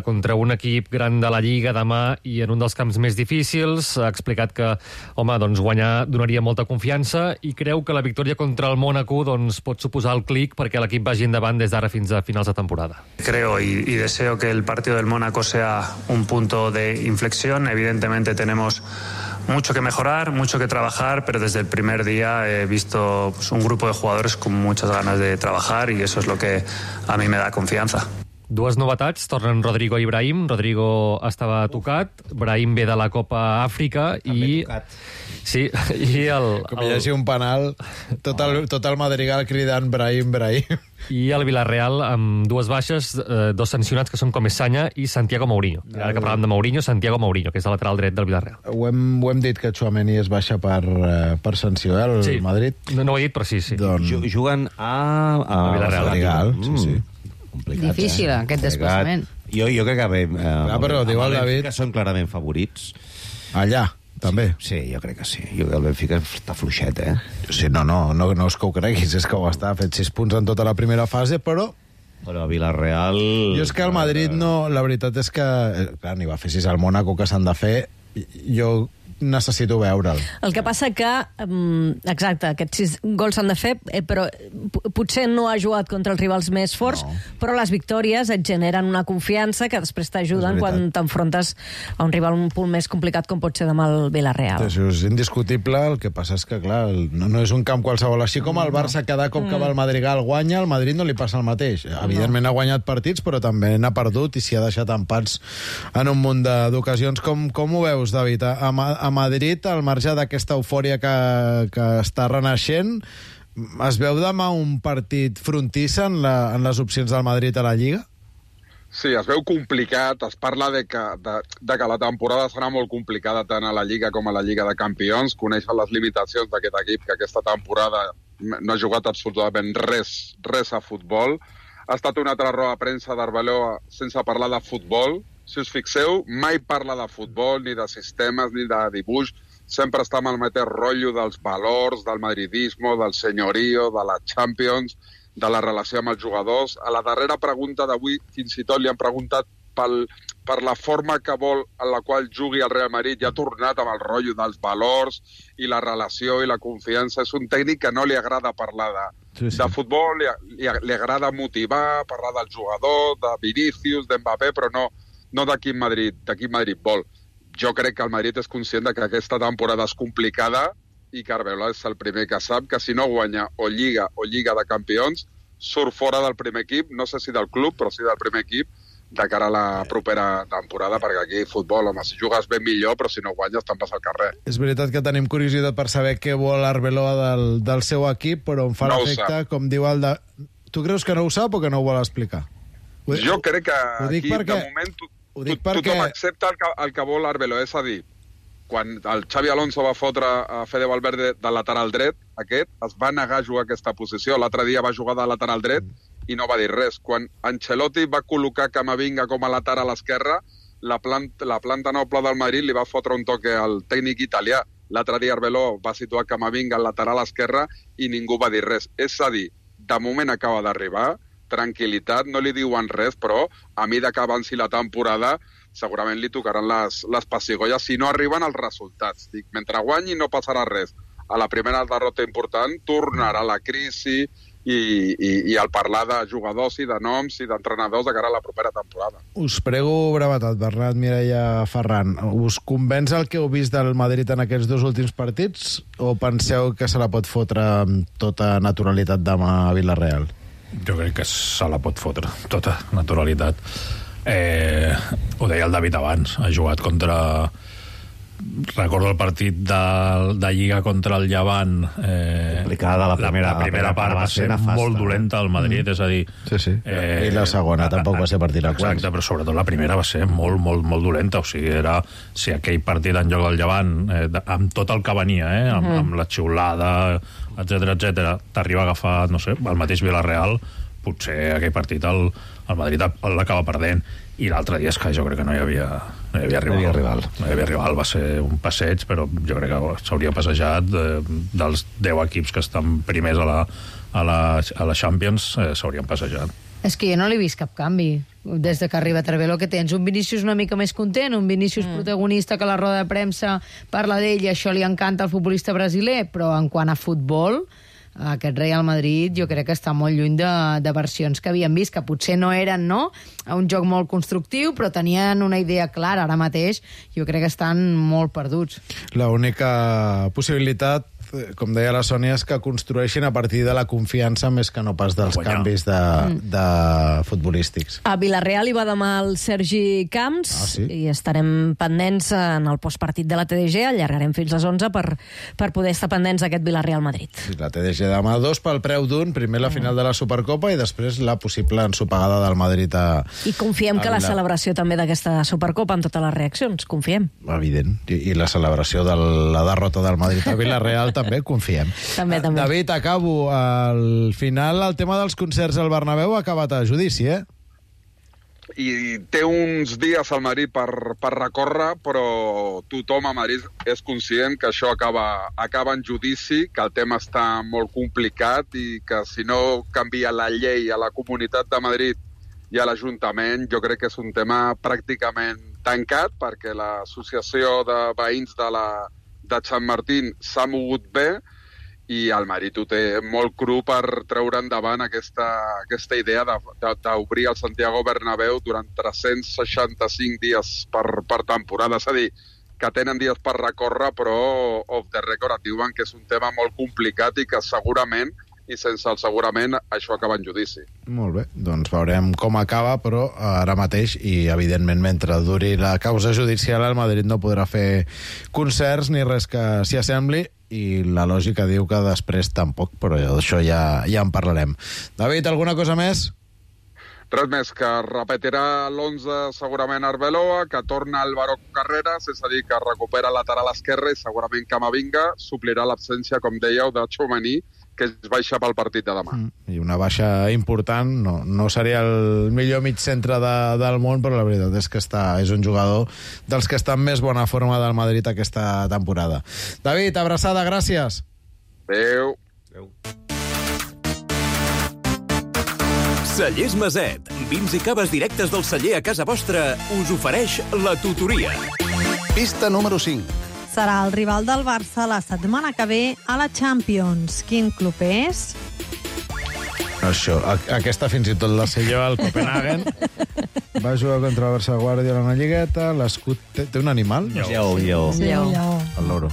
contra un equip gran de la Lliga demà i en un dels camps més difícils. Ha explicat que, home, doncs guanyar donaria molta confiança i creu que la victòria contra el Mónaco doncs, pot suposar el clic perquè l'equip vagi endavant des d'ara fins a finals de temporada. Creo y deseo que el partido del Mónaco sea un punto de inflexión. Evidentemente tenemos mucho que mejorar, mucho que trabajar, pero desde el primer día he visto un grupo de jugadores con muchas ganas de trabajar y eso es lo que a mí me da confianza. Dues novetats, tornen Rodrigo i Brahim. Rodrigo estava tocat, Brahim ve de la Copa Àfrica i... tocat. Sí, i com hi hagi un penal, tot el Madrigal cridant Brahim. I el Villarreal amb dues baixes, dos sancionats que són Comesaña i Santiago Mourinho. Ara que parlàvem de Mourinho, Santiago Mourinho, que és el lateral dret del Villarreal. Ho hem dit que Tchouaméni es baixa per sanció, el Madrid? No ho he dit, però sí. Juguen a Villarreal. Sí. Complicat, difícil, aquest desplaçament. Jo crec que bé... però diu el David que són clarament favorits. Allà, també? Sí, jo crec que sí. El Benfica està fluixet, Sí, no és que ho creguis, és que ho està. Ha fet 6 punts en tota la primera fase, però Villarreal... Jo és que el Madrid no... La veritat és que... Clar, n'hi va fer 6 al Mónaco, que s'han de fer. Jo necessito veure'l. El que passa que, exacte, aquests 6 gols s'han de fer, però potser no ha jugat contra els rivals més forts, però les victòries et generen una confiança que després t'ajuden quan t'enfrontes a un rival un punt més complicat com pot ser demà el Villarreal. Això és indiscutible, el que passa és que, clar, no és un camp qualsevol. Així com el Barça cada cop que va al Madrigal guanya, al Madrid no li passa el mateix. Evidentment ha guanyat partits, però també n'ha perdut i s'hi ha deixat empats en un munt d'ocasions. Com ho veus, David? A Madrid, al marge d'aquesta eufòria que està renaixent, es veu demà un partit frontissa en les opcions del Madrid a la Lliga? Sí, es veu complicat. Es parla de que la temporada serà molt complicada tant a la Lliga com a la Lliga de Campions. Coneixen les limitacions d'aquest equip, que aquesta temporada no ha jugat absolutament res a futbol. Ha estat una altra roda de premsa d'Arbeloa sense parlar de futbol. Si us fixeu, mai parla de futbol, ni de sistemes, ni de dibuix. Sempre està amb el mateix rotllo dels valors, del madridismo, del senyorio, de la Champions, de la relació amb els jugadors. A la darrera pregunta d'avui, fins i tot li han preguntat per la forma que vol en la qual jugui el Real Madrid, i ha tornat amb el rotllo dels valors i la relació i la confiança. És un tècnic que no li agrada parlar de futbol, li agrada motivar, parlar del jugador, de Vinícius, d'Mbappé, però no de quin Madrid vol. Jo crec que el Madrid és conscient de que aquesta temporada és complicada i que Arbeloa és el primer que sap que si no guanya o Lliga de Campions, surt fora del primer equip, no sé si del club, però sí del primer equip, de cara a la propera temporada, perquè aquí futbol, home, si jugues ben millor, però si no guanyes te'n vas al carrer. És veritat que tenim curiositat per saber què vol Arbeloa del seu equip, però em fa l'efecte, com diu el de... Tu creus que no ho sap o que no ho vol explicar? Jo crec que aquí, de moment, tothom accepta el que vol Arbeloa, és a dir, quan el Xavi Alonso va fotre a Fede Valverde de lateral dret, es va negar a jugar aquesta posició. L'altre dia va jugar de lateral dret i no va dir res. Quan Ancelotti va col·locar Camavinga com a lateral a l'esquerra, la planta noble del Madrid li va fotre un toque al tècnic italià. L'altre dia Arbeloa va situar Camavinga al lateral a l'esquerra i ningú va dir res. És a dir, de moment acaba d'arribar, tranquil·litat, no li diuen res, però a mesura que avanci la temporada segurament li tocaran les pessigolles si no arriben els resultats. Dic, mentre guanyi no passarà res. A la primera derrota important tornarà la crisi i el parlar de jugadors i de noms i d'entrenadors de cara a la propera temporada. Us prego brevetat, Bernat, Mireia, Ferran. Us convenç el que heu vist del Madrid en aquests 2 últims partits o penseu que se la pot fotre amb tota naturalitat demà a Villarreal? Jo crec que se la pot fotre, tota naturalitat. Ho deia el David abans, ha jugat contra... Recordo el partit de Lliga contra el Llevant. Complicada, la primera part va ser molt dolenta al Madrid, és a dir... Sí. I la segona tampoc va ser per tirar quants. Exacte, però sobretot la primera va ser molt, molt, molt dolenta. O sigui, era... Si aquell partit en lloc del Llevant, amb tot el que venia, amb la xiulada, etc, t'arriba a agafar, no sé, el mateix Villarreal, potser aquell partit el Madrid l'acaba perdent. I l'altre dia és que jo crec que no hi havia rival. No hi havia rival, va ser un passeig, però jo crec que s'hauria passejat dels 10 equips que estan primers a la Champions, s'haurien passejat. És que jo no l'he vist cap canvi. Des que arriba Arbeló, que tens un Vinícius una mica més content, un Vinícius protagonista que a la roda de premsa parla d'ell i això li encanta al futbolista brasiler, però en quant a futbol, aquest Real Madrid jo crec que està molt lluny de versions que havíem vist, que potser no eren un joc molt constructiu, però tenien una idea clara. Ara mateix jo crec que estan molt perduts. L'única possibilitat, com deia la Sònia, és que construeixin a partir de la confiança més que no pas dels canvis de futbolístics. A Villarreal hi va demà el Sergi Camps i estarem pendents en el postpartit de la TDG. Allargarem fins les 11 per poder estar pendents d'aquest Villarreal-Madrid. Sí, la TDG demà 2 pel preu d'un, primer la final de la Supercopa i després la possible ensopegada del Madrid I confiem que la celebració també d'aquesta Supercopa amb totes les reaccions, confiem. Evident, i la celebració de la derrota del Madrid a Villarreal també confiem. També. David, acabo. Al final, el tema dels concerts al Bernabéu ha acabat a judici, I té uns dies al Madrid per recórrer, però tothom a Madrid és conscient que això acaba en judici, que el tema està molt complicat i que si no canvia la llei a la Comunitat de Madrid i a l'Ajuntament, jo crec que és un tema pràcticament tancat, perquè l'associació de veïns de Sant Martín s'ha mogut bé i el Madrid ho té molt cru per treure endavant aquesta idea d'obrir el Santiago Bernabéu durant 365 dies per temporada. És a dir, que tenen dies per recórrer, però off the record et diuen que és un tema molt complicat i que segurament, i sense el segurament, això acaba en judici. Molt bé, doncs veurem com acaba, però ara mateix, i evidentment mentre duri la causa judicial, el Madrid no podrà fer concerts ni res que s'hi assembli, i la lògica diu que després tampoc, però d'això ja en parlarem. David, alguna cosa més? Res més, que repetirà l'11 segurament Arbeloa, que torna Álvaro Carreras, és a dir, que recupera lateral esquerre i segurament Camavinga suplirà l'absència, com dèieu, de Tchouaméni, que es baixa pel partit de demà. I una baixa important, no seria el millor mig centre del món, però la veritat és que és un jugador dels que està en més bona forma del Madrid aquesta temporada. David, abraçada, gràcies. Adéu. Cellers Maset, vins i caves directes del celler a casa vostra, us ofereix la tutoria. Pista número 5. Serà el rival del Barça la setmana que ve a la Champions. Quin club és? Això, aquesta fins i tot la sé jo, el Copenhagen. Va jugar contra el Barça Guardiola a una lligueta, l'escut té un animal? Lleó. El loro.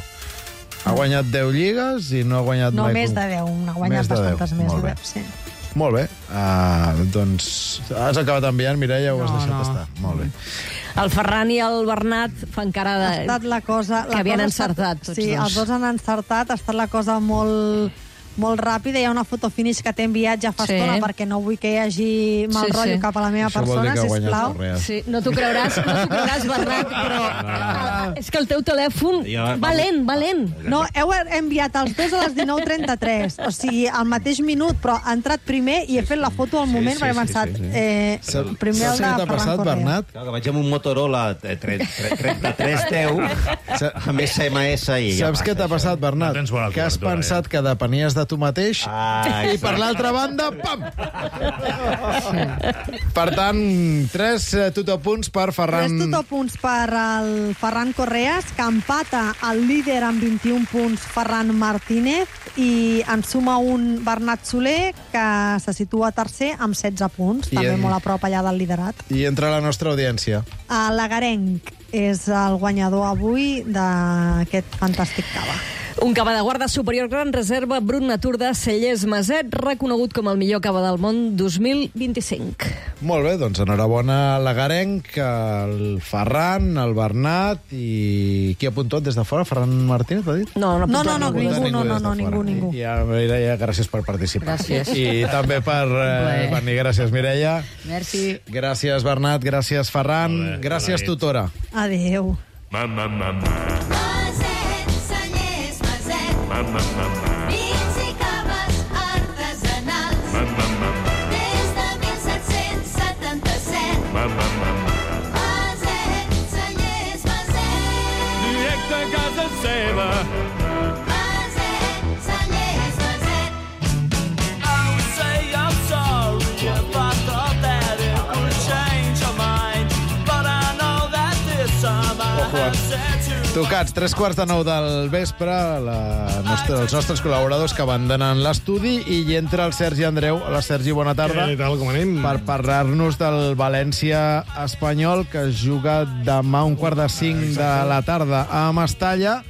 Ha guanyat 10 lligues i no ha guanyat mai... No, més de 10, n'ha guanyat bastantes més. Molt bé. Doncs has acabat enviant, Mireia, o has deixat estar? Molt bé. El Ferran i el Bernat fan cara de... Ha estat la cosa... que havien encertat, tots sí, dos. Els dos han encertat, ha estat la cosa molt ràpida. Hi ha una foto finish que t'he enviat ja fa estona perquè no vull que hi hagi mal rotllo cap a la meva persona, sisplau. Sí, no t'ho creuràs, Bernat, però és que el teu telèfon va lent. No, heu enviat els dos a les 19:33, o sigui, al mateix minut, però ha entrat primer i he fet la foto al moment perquè he pensat... Primer el de Ferran Correa. Que vaig amb un Motorola 3310 amb SMS i... Saps què t'ha passat, Bernat? Que has pensat que depenies de tu mateix i per l'altra banda, pam! Per tant, 3 totopunts per Ferran... 3 totopunts per el Ferran Correas, que empata el líder amb 21 punts Ferran Martínez i en suma un Bernat Soler, que se situa tercer amb 16 punts, també molt a prop allà del liderat. I entre la nostra audiència. L'Agarenc és el guanyador avui d'aquest fantàstic cava. Un cava de guarda superior gran reserva Brut Natur de Cellers Maset, reconegut com el millor cava del món 2025. Molt bé, doncs enhorabona a l'Agarenc, el Ferran, el Bernat i... Qui ha apuntat des de fora? Ferran Martínez, ha dit? No, ningú. Ja, Mireia, gràcies per participar. Gràcies. I també per venir. Gràcies, Mireia. Merci. Gràcies, Bernat. Gràcies, Ferran. Gràcies, tutora. Adéu. Vins i caves artesanals. Des de 1777. Maset, Cellers, Maset. Directe a casa seva. Maset, Cellers, Maset. I would say I'm sorry if I thought that it would change your mind, but I know that this time I have said to... Tocats, 3:15 del vespre, els nostres col·laboradors que abandonen l'estudi i hi entra el Sergi Andreu. Hola, Sergi, bona tarda. Què tal, com anem? Per parlar-nos del València Espanyol, que es juga demà a 4:45 de la tarda a Mestalla.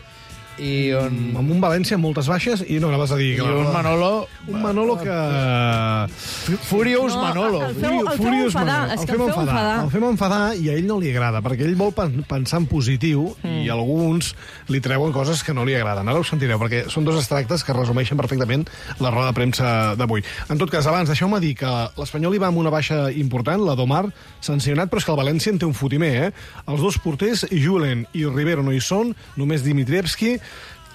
I amb un València amb moltes baixes i no anaves a dir... I un Manolo... Un Manolo que... Furious Manolo. El fem enfadar. El fem enfadar i a ell no li agrada, perquè ell vol pensar en positiu i alguns li treuen coses que no li agraden. Ara ho sentireu, perquè són dos extractes que resumeixen perfectament la roda de premsa d'avui. En tot cas, abans, deixeu-me dir que l'Espanyol hi va amb una baixa important, la d'Omar, sancionat, però és que el València en té un fotimer, Els dos porters, Julen i Rivero, no hi són, només Dimitrievski,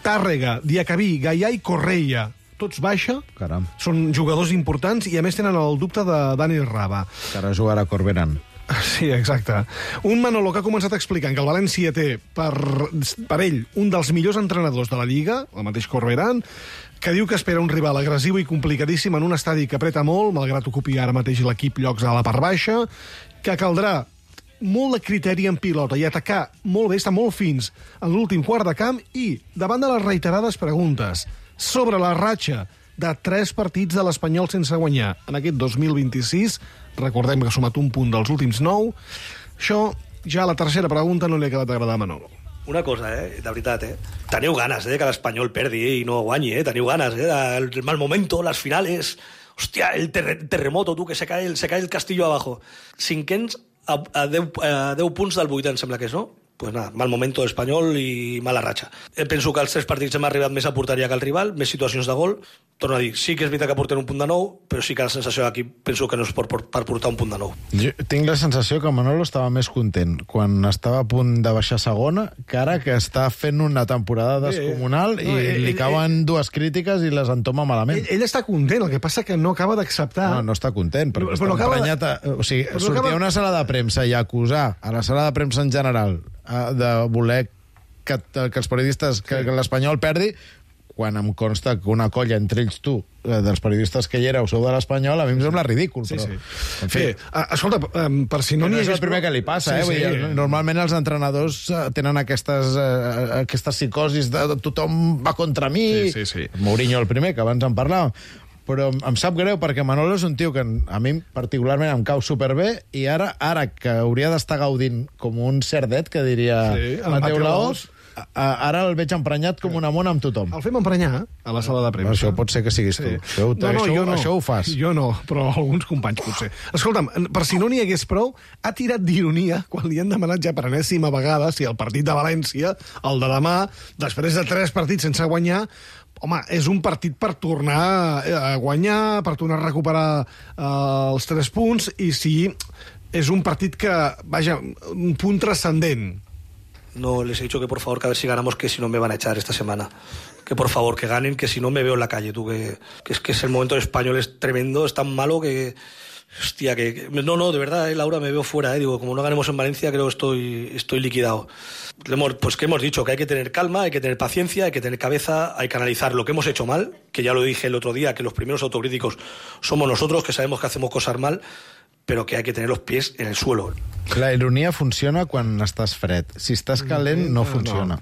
Tàrrega, Diacabí, Gaià i Correia, tots baixa. Caram. Són jugadors importants i, a més, tenen el dubte de Dani Raba. Que ara jugarà Corberán. Sí, exacte. Un Manolo que ha començat explicant que el València té per ell un dels millors entrenadors de la Lliga, el mateix Corberán, que diu que espera un rival agressiu i complicadíssim en un estadi que apreta molt, malgrat ocupi ara mateix l'equip llocs a la part baixa, que caldrà molt de criteri en pilota i atacar molt bé, estar molt fins en l'últim quart de camp i, davant de les reiterades preguntes sobre la ratxa de 3 partits de l'Espanyol sense guanyar en aquest 2026, recordem que ha sumat un punt dels últims 9, això ja la tercera pregunta no li ha acabat d'agradar a Manolo. Una cosa, de veritat, teniu ganes que l'Espanyol perdi i no guanyi, teniu ganes, el mal momento, les finales, hòstia, el terremoto, que se cae el castillo abajo. Cinquens a 10 punts del 8, em sembla que és, no? Pues nada, mal momento Espanyol i mala ratxa. Penso que els 3 partits hem arribat més a porteria que el rival, més situacions de gol. Torno a dir, sí que és veritat que portem un punt de 9, però sí que la sensació d'aquí penso que no és per portar un punt de 9. Jo tinc la sensació que Manolo estava més content quan estava a punt de baixar segona que ara que està fent una temporada descomunal i li cauen 2 crítiques i les entoma malament. Ell està content, el que passa que no acaba d'acceptar... No està content, perquè està emprenyat... O sigui, sortir a una sala de premsa i acusar a la sala de premsa en general de voler que els periodistes, que l'Espanyol perdi, quan em consta que una colla entre ells tu, dels periodistes que hi éreu, sou de l'Espanyol, a mi em sembla ridícul. Sí, però, sí. En fi, escolta, per si no n'hi és el primer que li passa, Sí, Vull dir, normalment els entrenadors tenen aquestes psicosis de tothom va contra mi. Sí. Mourinho el primer, que abans en parlàvem. Però em sap greu perquè Manolo és un tio que a mi particularment em cau superbé i ara que hauria d'estar gaudint com un cerdet, que diria Mateu Laoz, ara el veig emprenyat com una mona amb tothom. El fem emprenyar a la sala de premsa. Això pot ser que siguis tu. Això ho fas. Jo no, però alguns companys potser. Escolta'm, per si no n'hi hagués prou, ha tirat d'ironia quan li han demanat ja per enèsima vegada si el partit de València, el de demà, després de 3 partits sense guanyar, home, és un partit per tornar a guanyar, per tornar a recuperar els 3 punts, i si és un partit que, vaja, un punt transcendent. No, les he dicho que por favor que a ver si ganamos, que si no me van a echar esta semana. Que por favor que ganen, que si no me veo en la calle, tú, que es el momento del Español es tremendo, es tan malo que... Hostia, no, de verdad, Laura, me veo fuera, digo, como no ganemos en Valencia, creo que estoy liquidado. Pues que hemos dicho que hay que tener calma, hay que tener paciencia, hay que tener cabeza, hay que analizar lo que hemos hecho mal, que ya lo dije el otro día, que los primeros autocríticos somos nosotros, que sabemos que hacemos cosas mal, però que hay que tener los pies en el suelo. La ironia funciona quan estàs fred. Si estàs calent, no funciona.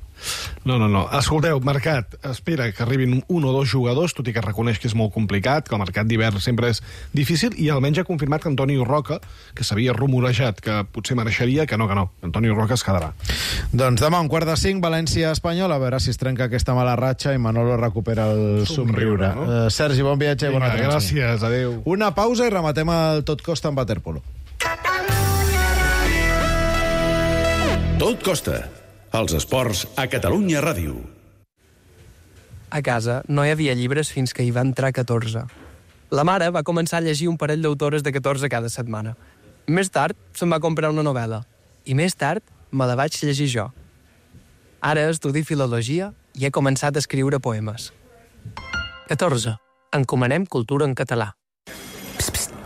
No. Escolteu, Mercat espera que arribin 1 o 2 jugadors, tot i que reconeix que és molt complicat, que el mercat d'hivern sempre és difícil, i almenys ha confirmat que Antonio Roca, que s'havia rumorejat que potser mereixeria, que no. Antonio Roca es quedarà. Doncs demà, 4:45, València-Espanyol, a veure si es trenca aquesta mala ratxa i Manolo recupera el somriure. No? Sergi, bon viatge i bona tarda. Gràcies, adeu. Una pausa i rematem el Tot Costa amb waterpolo. Tot Costa. Els esports a Catalunya Ràdio. A casa no hi havia llibres fins que hi va entrar 14. La mare va començar a llegir un parell d'autores de 14 cada setmana. Més tard se'n va comprar una novel·la. I més tard me la vaig llegir jo. Ara estudio filologia i he començat a escriure poemes. 14. Encomanem cultura en català.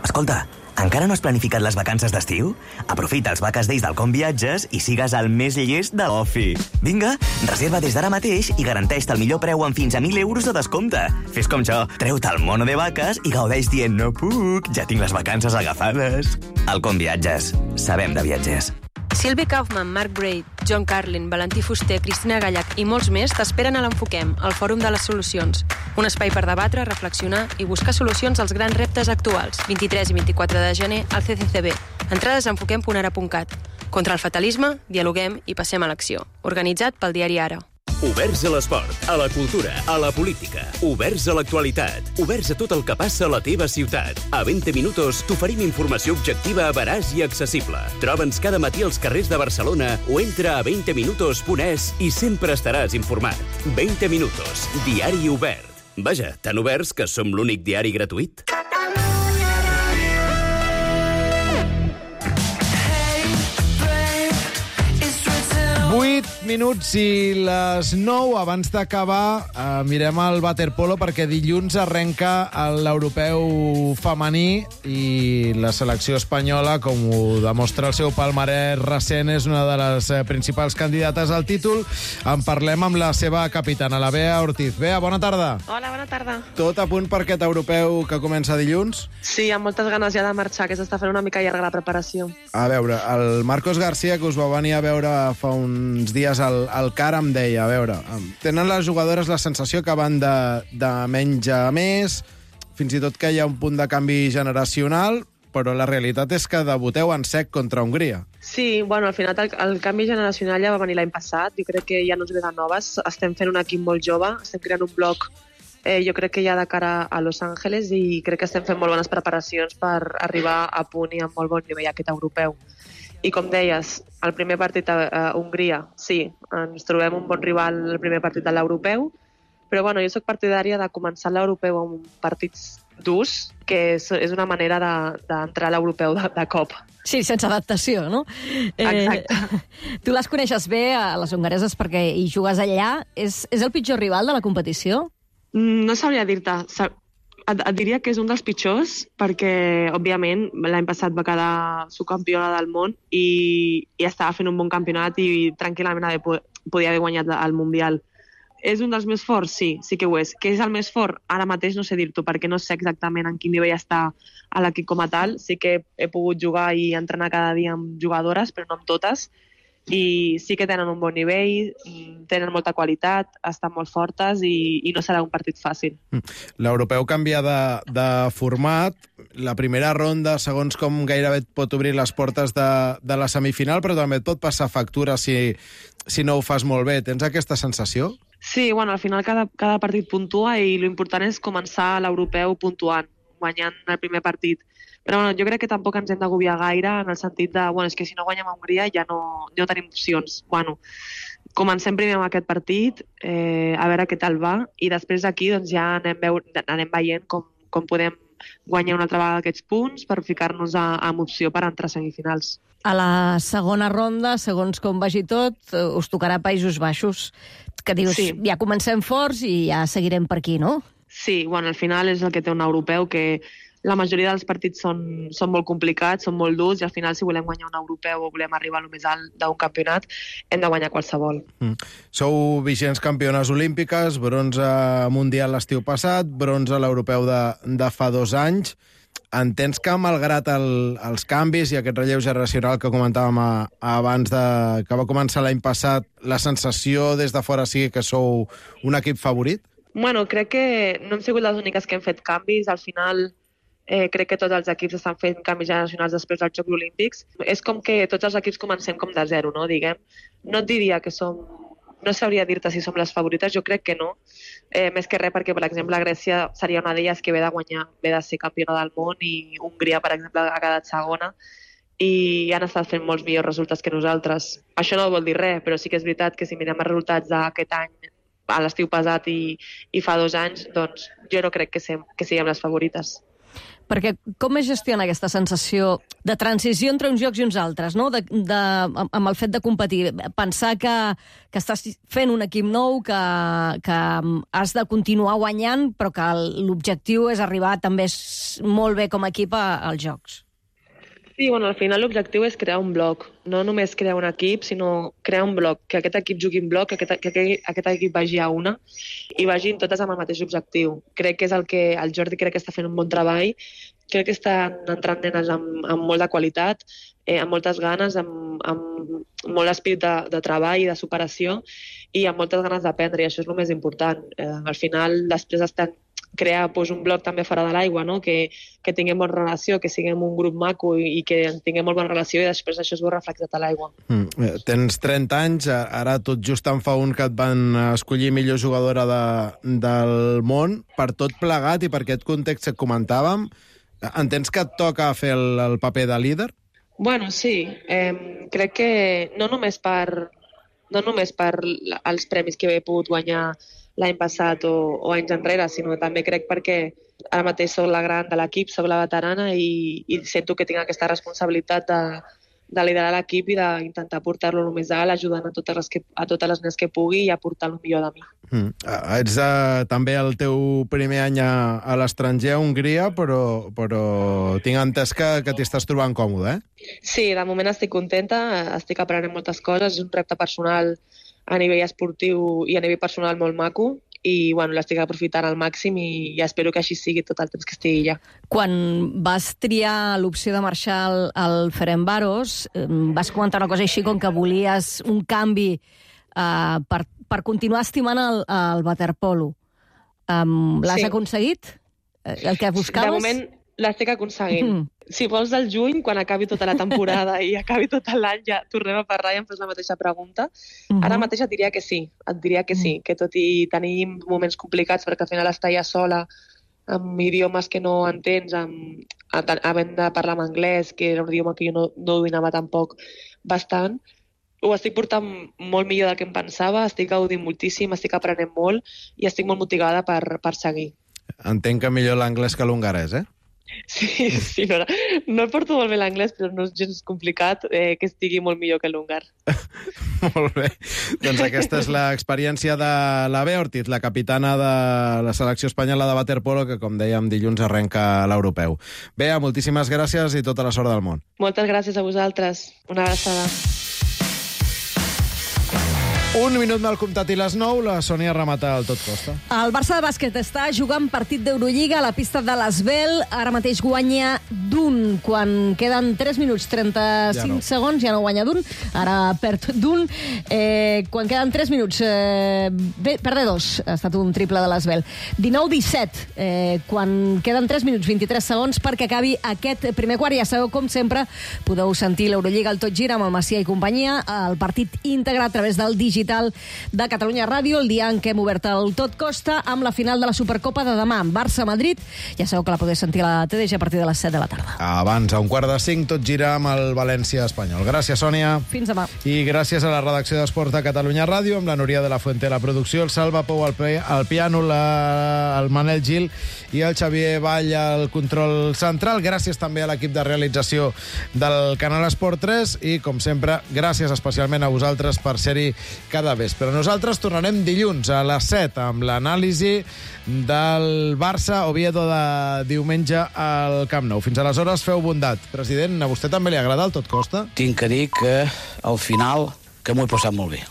Escolta, encara no has planificat les vacances d'estiu? Aprofita els Vaques Days del Com Viatges i sigues el més llest de l'ofi. Vinga, reserva des d'ara mateix i garanteix-te el millor preu amb fins a 1.000 euros de descompte. Fes com jo, treu-te el mono de vaques i gaudeix dient no puc, ja tinc les vacances agafades. El Com Viatges. Sabem de viatgers. Sylvie Kaufman, Mark Braid, John Carlin, Valentí Fuster, Cristina Gallac i molts més t'esperen a l'Enfoquem, el Fòrum de les Solucions. Un espai per debatre, reflexionar i buscar solucions als grans reptes actuals. 23 i 24 de gener al CCCB. Entrades a enfoquem.ara.cat. Contra el fatalisme, dialoguem i passem a l'acció. Organitzat pel diari Ara. Oberts a l'esport, a la cultura, a la política. Oberts a l'actualitat. Oberts a tot el que passa a la teva ciutat. A 20 minutos t'oferim informació objectiva, veraç i accessible. Troba'ns cada matí als carrers de Barcelona o entra a 20minutos.es i sempre estaràs informat. 20 minutos, diari obert. Vaja, tan oberts que som l'únic diari gratuït. 8 minuts i les 9. Abans d'acabar, mirem el waterpolo perquè dilluns arrenca l'europeu femení i la selecció espanyola, com ho demostra el seu palmarès recent, és una de les principals candidates al títol. En parlem amb la seva capitana, la Bea Ortiz. Bea, bona tarda. Hola, bona tarda. Tot a punt per aquest europeu que comença dilluns? Sí, amb moltes ganes ja de marxar, que s'està fent una mica llarga la preparació. A veure, el Marcos García, que us va venir a veure fa uns dies al CAR, em deia, a veure, tenen les jugadores la sensació que van de menys a més, fins i tot que hi ha un punt de canvi generacional, però la realitat és que debuteu en sec contra Hongria. Sí, bueno, al final el canvi generacional ja va venir l'any passat, jo crec que ja no ens ve de noves, estem fent un equip molt jove, estem creant un bloc jo crec que ja de cara a Los Angeles i crec que estem fent molt bones preparacions per arribar a punt i amb molt bon nivell aquest europeu. I com deies, el primer partit a Hongria, sí, ens trobem un bon rival el primer partit de l'europeu, però bueno, jo sóc partidària de començar l'europeu amb partits durs, que és una manera d'entrar a l'europeu de cop. Sí, sense adaptació, no? Exacte. Tu les coneixes bé, a les hongareses, perquè hi jugues allà. És el pitjor rival de la competició? No sabria dir-te. Et diria que és un dels pitjors perquè, òbviament, l'any passat va quedar subcampiona del món i estava fent un bon campionat i tranquil·lament podia haver guanyat el Mundial. És un dels més forts? Sí, sí que ho és. Que és el més fort? Ara mateix no sé dir-t'ho perquè no sé exactament en quin nivell està a l'equip com a tal. Sí que he pogut jugar i entrenar cada dia amb jugadores, però no amb totes. i sí que tenen un bon nivell, tenen molta qualitat, estan molt fortes i no serà un partit fàcil. L'europeu canvia de format. La primera ronda, segons com gairebé et pot obrir les portes de la semifinal, però també et pot passar factura si no ho fas molt bé. Tens aquesta sensació? Sí, bueno, al final cada partit puntua i l'important és començar l'europeu puntuant, guanyant el primer partit. Però bueno, jo crec que tampoc ens hem d'agobiar gaire en el sentit de, bueno, és que si no guanyem a Hongria ja no tenim opcions. Bueno, comencem primer amb aquest partit, a veure què tal va, i després d'aquí doncs, ja anem veient com podem guanyar una altra vegada aquests punts per ficar-nos amb opció per entrar a semifinals. A la segona ronda, segons com vagi tot, us tocarà Països Baixos, que dius, sí, ja comencem forts i ja seguirem per aquí, no? Sí, bueno, al final és el que té un europeu, que la majoria dels partits són molt complicats, són molt durs, i al final, si volem guanyar un europeu o volem arribar a lo més alt d'un campionat, hem de guanyar qualsevol. Sou vigents campiones olímpiques, bronze mundial l'estiu passat, bronze a l'europeu de fa 2 anys. Entens que, malgrat els canvis i aquest relleu generacional que comentàvem abans que va començar l'any passat, la sensació des de fora sigui que sou un equip favorit? Bueno, crec que no hem sigut les úniques que hem fet canvis. Al final, crec que tots els equips estan fent canvis generacionals després dels Jocs Olímpics. És com que tots els equips comencem com de zero, no? Diguem. No et diria que som... No sabria dir-te si som les favorites, jo crec que no. Més que res perquè, per exemple, Grècia seria una d'elles que ve de guanyar, ve de ser campiona del món, i Hongria, per exemple, ha quedat segona, i han estat fent molts millors resultats que nosaltres. Això no vol dir res, però sí que és veritat que si mirem els resultats d'aquest any, a l'estiu passat i fa 2 anys, doncs jo no crec que siguem les favorites. Perquè com es gestiona aquesta sensació de transició entre uns jocs i uns altres, no? Amb el fet de competir? Pensar que estàs fent un equip nou, que has de continuar guanyant, però que l'objectiu és arribar també molt bé com a equip als jocs. Sí, bueno, al final l'objectiu és crear un bloc, no només crear un equip, sinó crear un bloc, que aquest equip jugui en bloc, que aquest equip vagi a una i vagin totes amb el mateix objectiu. Crec que és el que el Jordi crec que està fent un bon treball, crec que estan entrant nenes amb molt de qualitat, amb moltes ganes, amb molt esprit de treball i de superació i amb moltes ganes d'aprendre, i això és el més important. Al final, després estan crear un bloc també fora de l'aigua, no? Que tinguem bona relació, que siguem un grup maco i que tinguem molt bona relació, i després això es veu reflectat a l'aigua. Tens 30 anys, ara tot just en fa un que et van escollir millor jugadora del món. Per tot plegat i per aquest context que comentàvem, entens que et toca fer el paper de líder? Bueno, sí. Crec que no només per els premis que he pogut guanyar l'any passat o anys enrere, sinó també crec perquè ara mateix soc la gran de l'equip, soc la veterana i sento que tinc aquesta responsabilitat de liderar l'equip i d'intentar portar-lo el més alt, ajudant a totes les nenes que pugui i aportar el millor de mi. Ets també el teu primer any a l'estranger, a Hongria, però tinc entès que t'hi estàs trobant còmode, eh? Sí, de moment estic contenta, estic aprenent moltes coses, és un repte personal a nivell esportiu i a nivell personal molt maco, i bueno, l'estic aprofitant al màxim i espero que així sigui tot el temps que estigui allà. Quan vas triar l'opció de marxar al Ferencváros, vas comentar una cosa així com que volies un canvi per continuar estimant el waterpolo. L'has aconseguit? El que buscaves? De moment l'estic aconseguint. Si vols del juny, quan acabi tota la temporada i acabi tot l'any, ja tornem a parlar i em fes la mateixa pregunta. Ara mateix et diria que sí, que tot i tenir moments complicats, perquè al final estar ja sola amb idiomes que no entens, havent de parlar en anglès, que era un idioma que jo no dominava tampoc bastant, ho estic portant molt millor del que em pensava, estic gaudint moltíssim, estic aprenent molt i estic molt motivada per seguir. Entenc que millor l'anglès que l'hongarès, eh? Sí, no porto molt bé l'anglès, però no és gens complicat que estigui molt millor que l'húngar. Molt bé. Doncs aquesta és l'experiència de la Bea Ortiz, la capitana de la selecció espanyola de waterpolo, que, com dèiem, dilluns arrenca l'europeu. Bea, moltíssimes gràcies i tota la sort del món. Moltes gràcies a vosaltres. Una abraçada. Un minut mal comptat i les 9, la Sònia remata el tot costa. El Barça de bàsquet està jugant partit d'Eurolliga a la pista de l'Asvel. Ara mateix guanya d'un. Quan queden 3 minuts 35 segons, ja no guanya d'un. Ara perd d'un. Quan queden 3 minuts... perd 2. Ha estat un triple de l'Asvel. 19-17. Quan queden 3 minuts 23 segons perquè acabi aquest primer quart. Ja sabeu, com sempre, podeu sentir l'Eurolliga al Tot Gira amb el Macià i companyia. El partit íntegre a través del digital de Catalunya Ràdio, el dia en què hem obert el Tot Costa amb la final de la Supercopa de demà, Barça-Madrid. Ja sabeu que la podeu sentir a la TDG a partir de les 7 de la tarda. Abans, a 4:45, Tot Gira amb el València-Espanyol. Gràcies, Sònia. Fins demà. I gràcies a la redacció d'Esports de Catalunya Ràdio, amb la Núria de la Fuente a la producció, el Salva Pou al piano, el Manel Gil i el Xavier Vall al control central. Gràcies també a l'equip de realització del Canal Esport 3 i, com sempre, gràcies especialment a vosaltres per ser-hi cada vespre. Nosaltres tornarem dilluns a les 7 amb l'anàlisi del Barça-Oviedo de diumenge al Camp Nou. Fins aleshores, feu bondat. President, a vostè també li agrada el Tot Costa? Tinc que dir que al final que m'ho he passat molt bé.